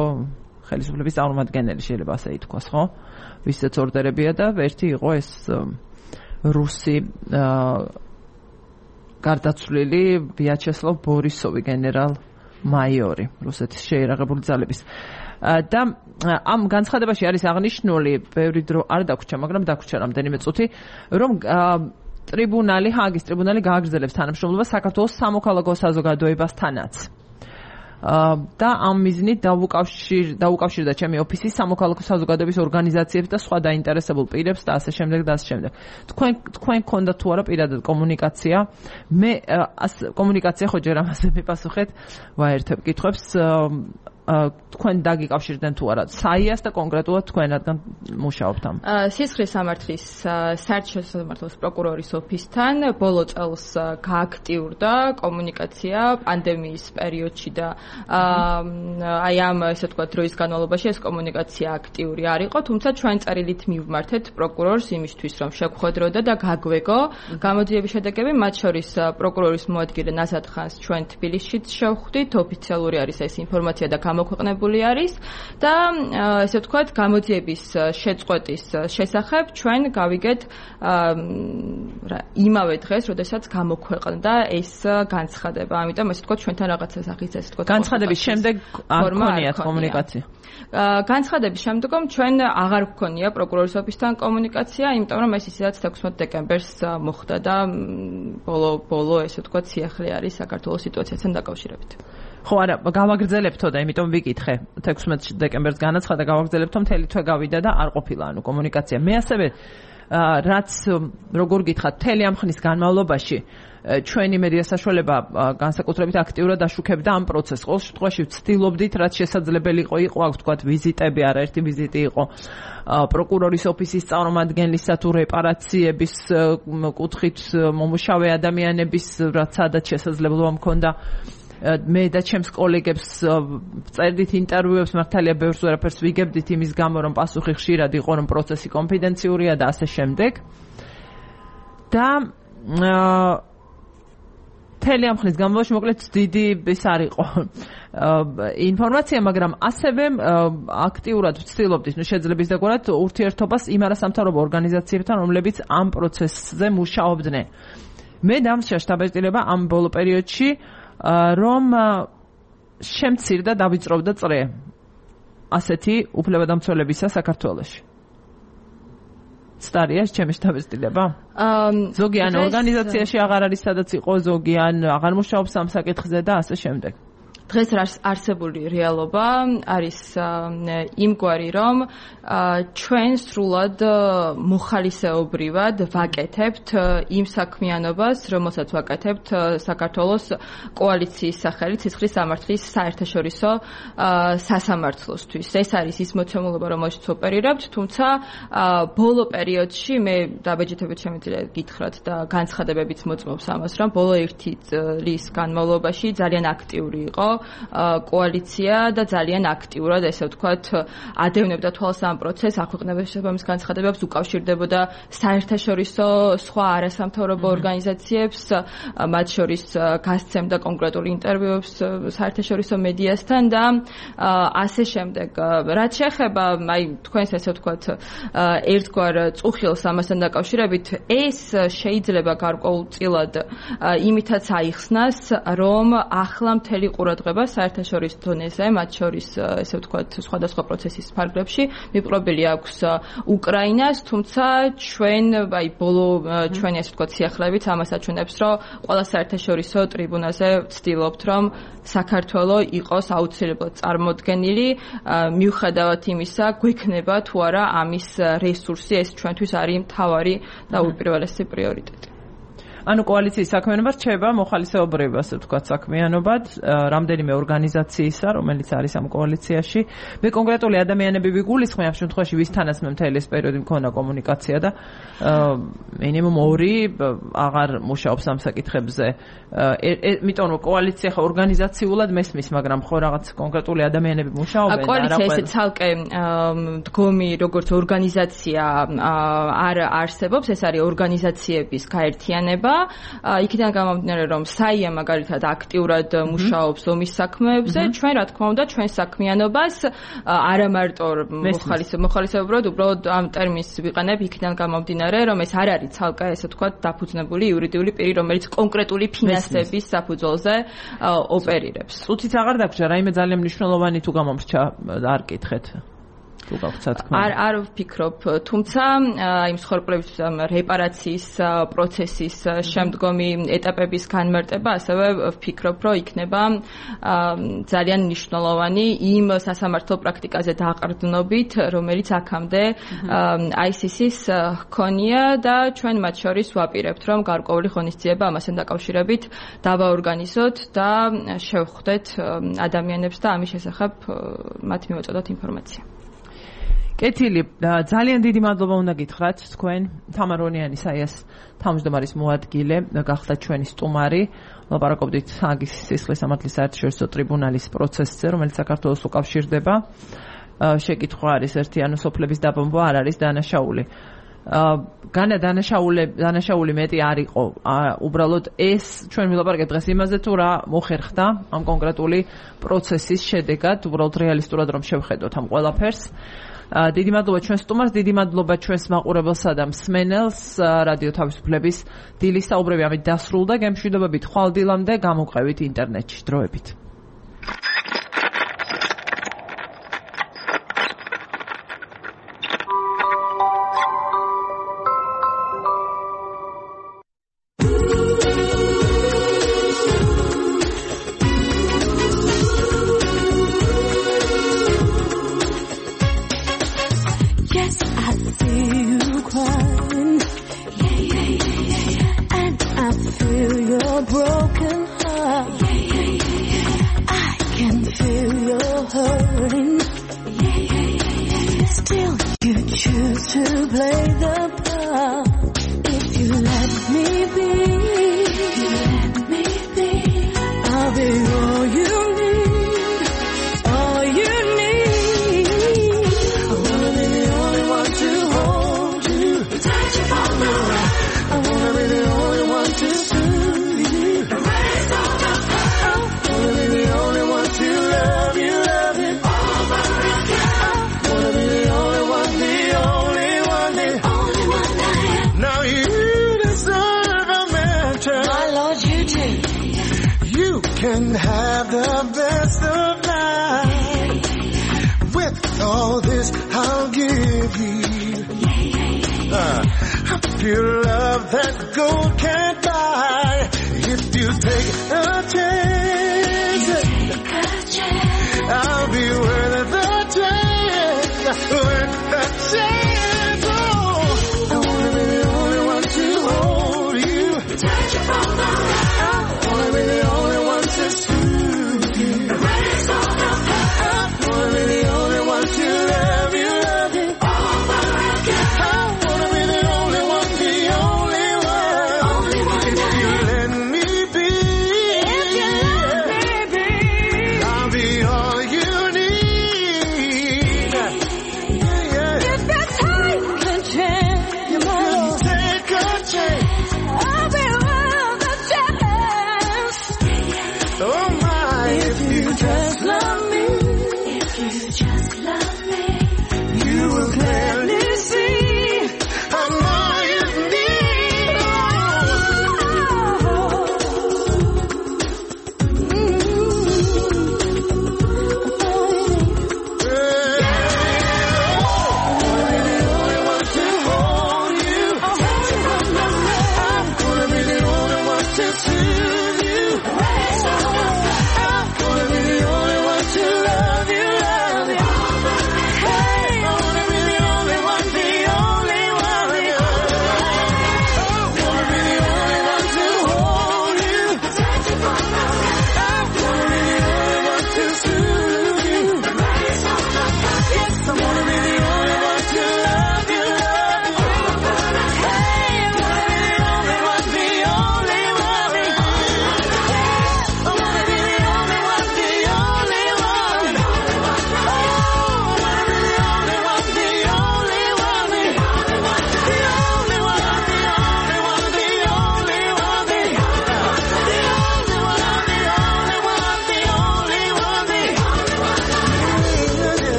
ხელისუფლების წარმომადგენელი შეიძლება ასე ითქვას, ხო? ვისაც ორდერებია და ერთი იყო ეს რუსი გარდაცვლილი ვიაჩესლავ ბორისოვი გენერალ-მაიორი, რუსეთის შეიარაღებული ძალების. და ამ განცხადებაში არის აღნიშნული, ბევრი დრო არ დაგვრჩა, მაგრამ დაგვრჩა რამდენიმე წუთი, რომ ტრიბუნალი, ჰააგის ტრიბუნალი გააგრძელებს თანამშრომლობას საქართველოს სამოქალაქო საზოგადოებასთანაც. და ამ მიზნით დაუკავშირდა ჩემი ოფისი სამოქალაქო საზოგადოების ორგანიზაციებს და სხვა დაინტერესებულ პირებს და ასე შემდეგ და ასე შემდეგ. თქვენ თქვენ გქონდა თუ არა პირადად კომუნიკაცია? მე კომუნიკაცია ხო ჯერ ამაზე მიპასუხეთ ვაერთებ კითხვებს. თქვენ დაგიკავშირდნენ თუ არა საიას და კონკრეტულად თქვენ რადგან მუშაობთ ამ სისხლის სამართლის საერთაშორისო სამართლის პროკურორის ოფისთან ბოლო წელს გააქტიურდა კომუნიკაცია პანდემიის პერიოდში და აი ამ ესე ვთქვათ დროის განმავლობაში ეს კომუნიკაცია აქტიური არ იყო, თუმცა ჩვენ წერილით მივმართეთ პროკურორს იმისთვის რომ შეგხვედროდა და გაგვეგო გამოძიების შედეგები, მათ შორის პროკურორის მოადგილე ნაზად ხანს ჩვენ თბილისშიც შევხვდით, ოფიციალური არის ეს ინფორმაცია და მოქვეყნებული არის და ესე ვთქვათ გამოძიების შეწყვეტის შესახებ ჩვენ გავიგეთ იმავე დღეს, როდესაც გამოქვეყნდა ეს განცხადება. ამიტომ ესე ვთქვათ ჩვენთან რაღაცა სახის ესე ვთქვათ განცხადების შემდეგ არ გქონიათ კომუნიკაცია. განცხადების შემდგომ ჩვენ აღარ გქონია პროკურორის ოფისთან კომუნიკაცია, იმიტომ რომ ეს ისედაც თექვსმეტ დეკემბერს მოხდა და ბოლო ბოლო ესე ვთქვათ სიახლე არის საქართველოს სიტუაციასთან დაკავშირებით. ხო არა, გავაგრძელებთო და იმიტომ ვიკითხე თექვსმეტ დეკემბერს განაცხადა, გავაგრძელებთო მთელი თვე გავიდა და არ ყოფილა ანუ კომუნიკაცია. მე ასევე რაც როგორ გითხრათ, მთელი ამ ხნის განმავლობაში ჩვენი მედია საშუალება განსაკუთრებით აქტიურად აშუქებდა ამ პროცესს. ყოველ შემთხვევაში ვცდილობდით, რაც შესაძლებელი იყო, იყო აქ ვთქვათ ვიზიტები, არაერთი ვიზიტი იყო პროკურორის ოფისის წარმომადგენლისა თუ რეპარაციების კუთხით მომუშავე ადამიანების, რაც სადაც შესაძლებლობა მქონდა მე და ჩემს კოლეგებს წერდით ინტერვიუებს, მართალია ბევრს ვერაფერს ვიგებდით იმის გამო, რომ პასუხი ხშირად იყო, რომ პროცესი კონფიდენციურია და ასე შემდეგ. და მთელი ამ ხნის განმავლობაში მოკლედ დიდი ის არ იყო ინფორმაცია, მაგრამ ასევე აქტიურად ვცდილობდით, ნუ შეძლების დაგვარად ურთიერთობას იმ არასამთავრობო ორგანიზაციებთან, რომლებიც ამ პროცესზე მუშაობდნენ. მე დამსჯა შტაბ-ბინა ამ ბოლო პერიოდში რომ შემცირდა და დავიწროვდა წრე ასეთი უფლებადამცველებისა საქართველოში. სტარიას ჩემი შტაბ-ბინა? ზოგი ან ორგანიზაციაში აღარ არის სადაც იყო, ზოგი ან აღარ მუშაობს ამ საკითხზე და ასე შემდეგ. დღეს არსებული რეალობა არის იმგვარი, რომ ჩვენ სრულად მოხალისეობრივად ვაკეთებთ იმ საქმიანობას, რომელსაც ვაკეთებთ საქართველოს კოალიციის სახელით სისხლის სამართლის საერთაშორისო სასამართლოსთვის. ეს არის ის მოცემულობა, რომელშიც ოპერირებთ, თუმცა ბოლო პერიოდში მე დაბეჭდებით შემიძლია გითხრათ და განცხადებებიც მოწმობს ამას, რომ ბოლო ერთი წლის განმავლობაში ძალიან აქტიური იყო კოალიცია და ძალიან აქტიურად ესე ვთქვათ ადევნებდა თვალს ამ პროცესს, აქვეყნებდა შესაბამის განცხადებებს, უკავშირდებოდა საერთაშორისო სხვა არასამთავრობო ორგანიზაციებს, მათ შორის გასცემდა კონკრეტულ ინტერვიუებს საერთაშორისო მედიასთან და ასე შემდეგ. რაც შეეხება აი თქვენს ესე ვთქვათ ერთგვარ წუხილს ამასთან დაკავშირებით, ეს შეიძლება გარკვეულწილად იმითაც აიხსნას, რომ ახლა მთელი ყურადღება საერთაშორისო დონეზე, მათ შორის ესე ვთქვათ სხვადასხვა პროცესის ფარგლებში მიპყრობილი აქვს უკრაინას, თუმცა ჩვენ აი ბოლო ჩვენი ესე ვთქვათ სიახლეებით ამას აჩვენებს, რომ ყველა საერთაშორისო ტრიბუნაზე ვცდილობთ, რომ საქართველო იყოს აუცილებლად წარმოდგენილი, მიუხედავად იმისა, გვექნება თუ არა ამის რესურსი, ეს ჩვენთვის არის მთავარი და უპირველესი პრიორიტეტი. ანუ კოალიციის საქმიანობა რჩება მოხალისეობრივ, ასე ვთქვათ, საქმიანობად, რამდენიმე ორგანიზაციისა, რომელიც არის ამ კოალიციაში. მე კონკრეტული ადამიანები ვიგულისხმე ამ შემთხვევაში, ვისთანაც მე მთელი ეს პერიოდი მქონდა კომუნიკაცია და მინიმუმ ორი აღარ მუშაობს ამ საკითხებზე. იმიტომ რომ კოალიცია ხა ორგანიზაციულად მესმის, მაგრამ ხო რაღაც კონკრეტული ადამიანები მუშაობენ. კოალიცია ესე ცალკე დგომი როგორც ორგანიზაცია არ არსებობს, ეს არის ორგანიზაციების გაერთიანება. იქიდან გამომდინარე, რომ საია მაგალითად აქტიურად მუშაობს ომის საქმეებზე, ჩვენ რა თქმა უნდა ჩვენ საქმიანობას არა მარტო მოხალისეობრივად, უბრალოდ ამ ტერმინს ვიყენებ იქიდან გამომდინარე, რომ ეს არ არის ცალკე ესე თქვა დაფუძნებული იურიდიული პირი, რომელიც კონკრეტული ფინანსების საფუძველზე ოპერირებს. წუთით აღარ დაგვრჩა, რაიმე ძალიან მნიშვნელოვანი თუ გამომრჩა, არ კითხეთ. არ არ ვფიქრობ, თუმცა აი მსხვერპლების რეპარაციის პროცესის შემდგომი ეტაპების განმარტება ასევე ვფიქრობ, რომ იქნება ძალიან მნიშვნელოვანი იმ სასამართლო პრაქტიკაზე დაყრდნობით, რომელიც აქამდე აი სი სის ჰქონია და ჩვენ მათ შორის ვაპირებთ, რომ გარკვეული ღონისძიება ამასთან დაკავშირებით დავაორგანიზოთ და შევხვდეთ ადამიანებს და ამის შესახებ მათ მივაწოდოთ ინფორმაცია. კეთილი, ძალიან დიდი მადლობა უნდა გითხრათ თქვენ. თამარ ონიანი საიას თავმჯდომარის მოადგილე გახდა ჩვენი სტუმარი. ლაპარაკობდით ჰაგის სისხლის სამართლის საერთაშორისო ტრიბუნალის პროცესზე, რომელიც საქართველოს უკავშირდება. შეკითხვა არის ერთი, ანუ სოფლების დაბომბვა არ არის დანაშაული. განა დანაშაული დანაშაული მეტი არ იყო. უბრალოდ ეს ჩვენ ვილაპარაკებთ დღეს იმაზე, თუ რა მოხერხდა ამ კონკრეტული პროცესის შედეგად, უბრალოდ რეალისტურად რომ შევხედოთ ამ ყველაფერს. დიდი მადლობა ჩვენ სტუმარს, დიდი მადლობა ჩვენს მაყურებელსა და მსმენელს. რადიო თავისუფლების დილის საუბრები ამით დასრულდა. გემშვიდობებით ხვალ დილამდე, გამოვყევით ინტერნეტში დროებით.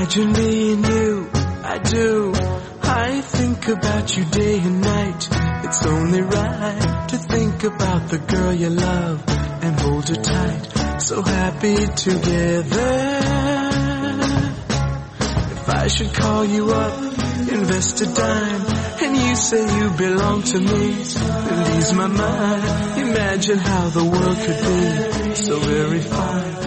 Imagine me and you, I do. I think about you day and night. It's only right to think about the girl you love and hold her tight. So happy together. If I should call you up, invest a dime, and you say you belong to me, then ease my mind. Imagine how the world could be so very fine.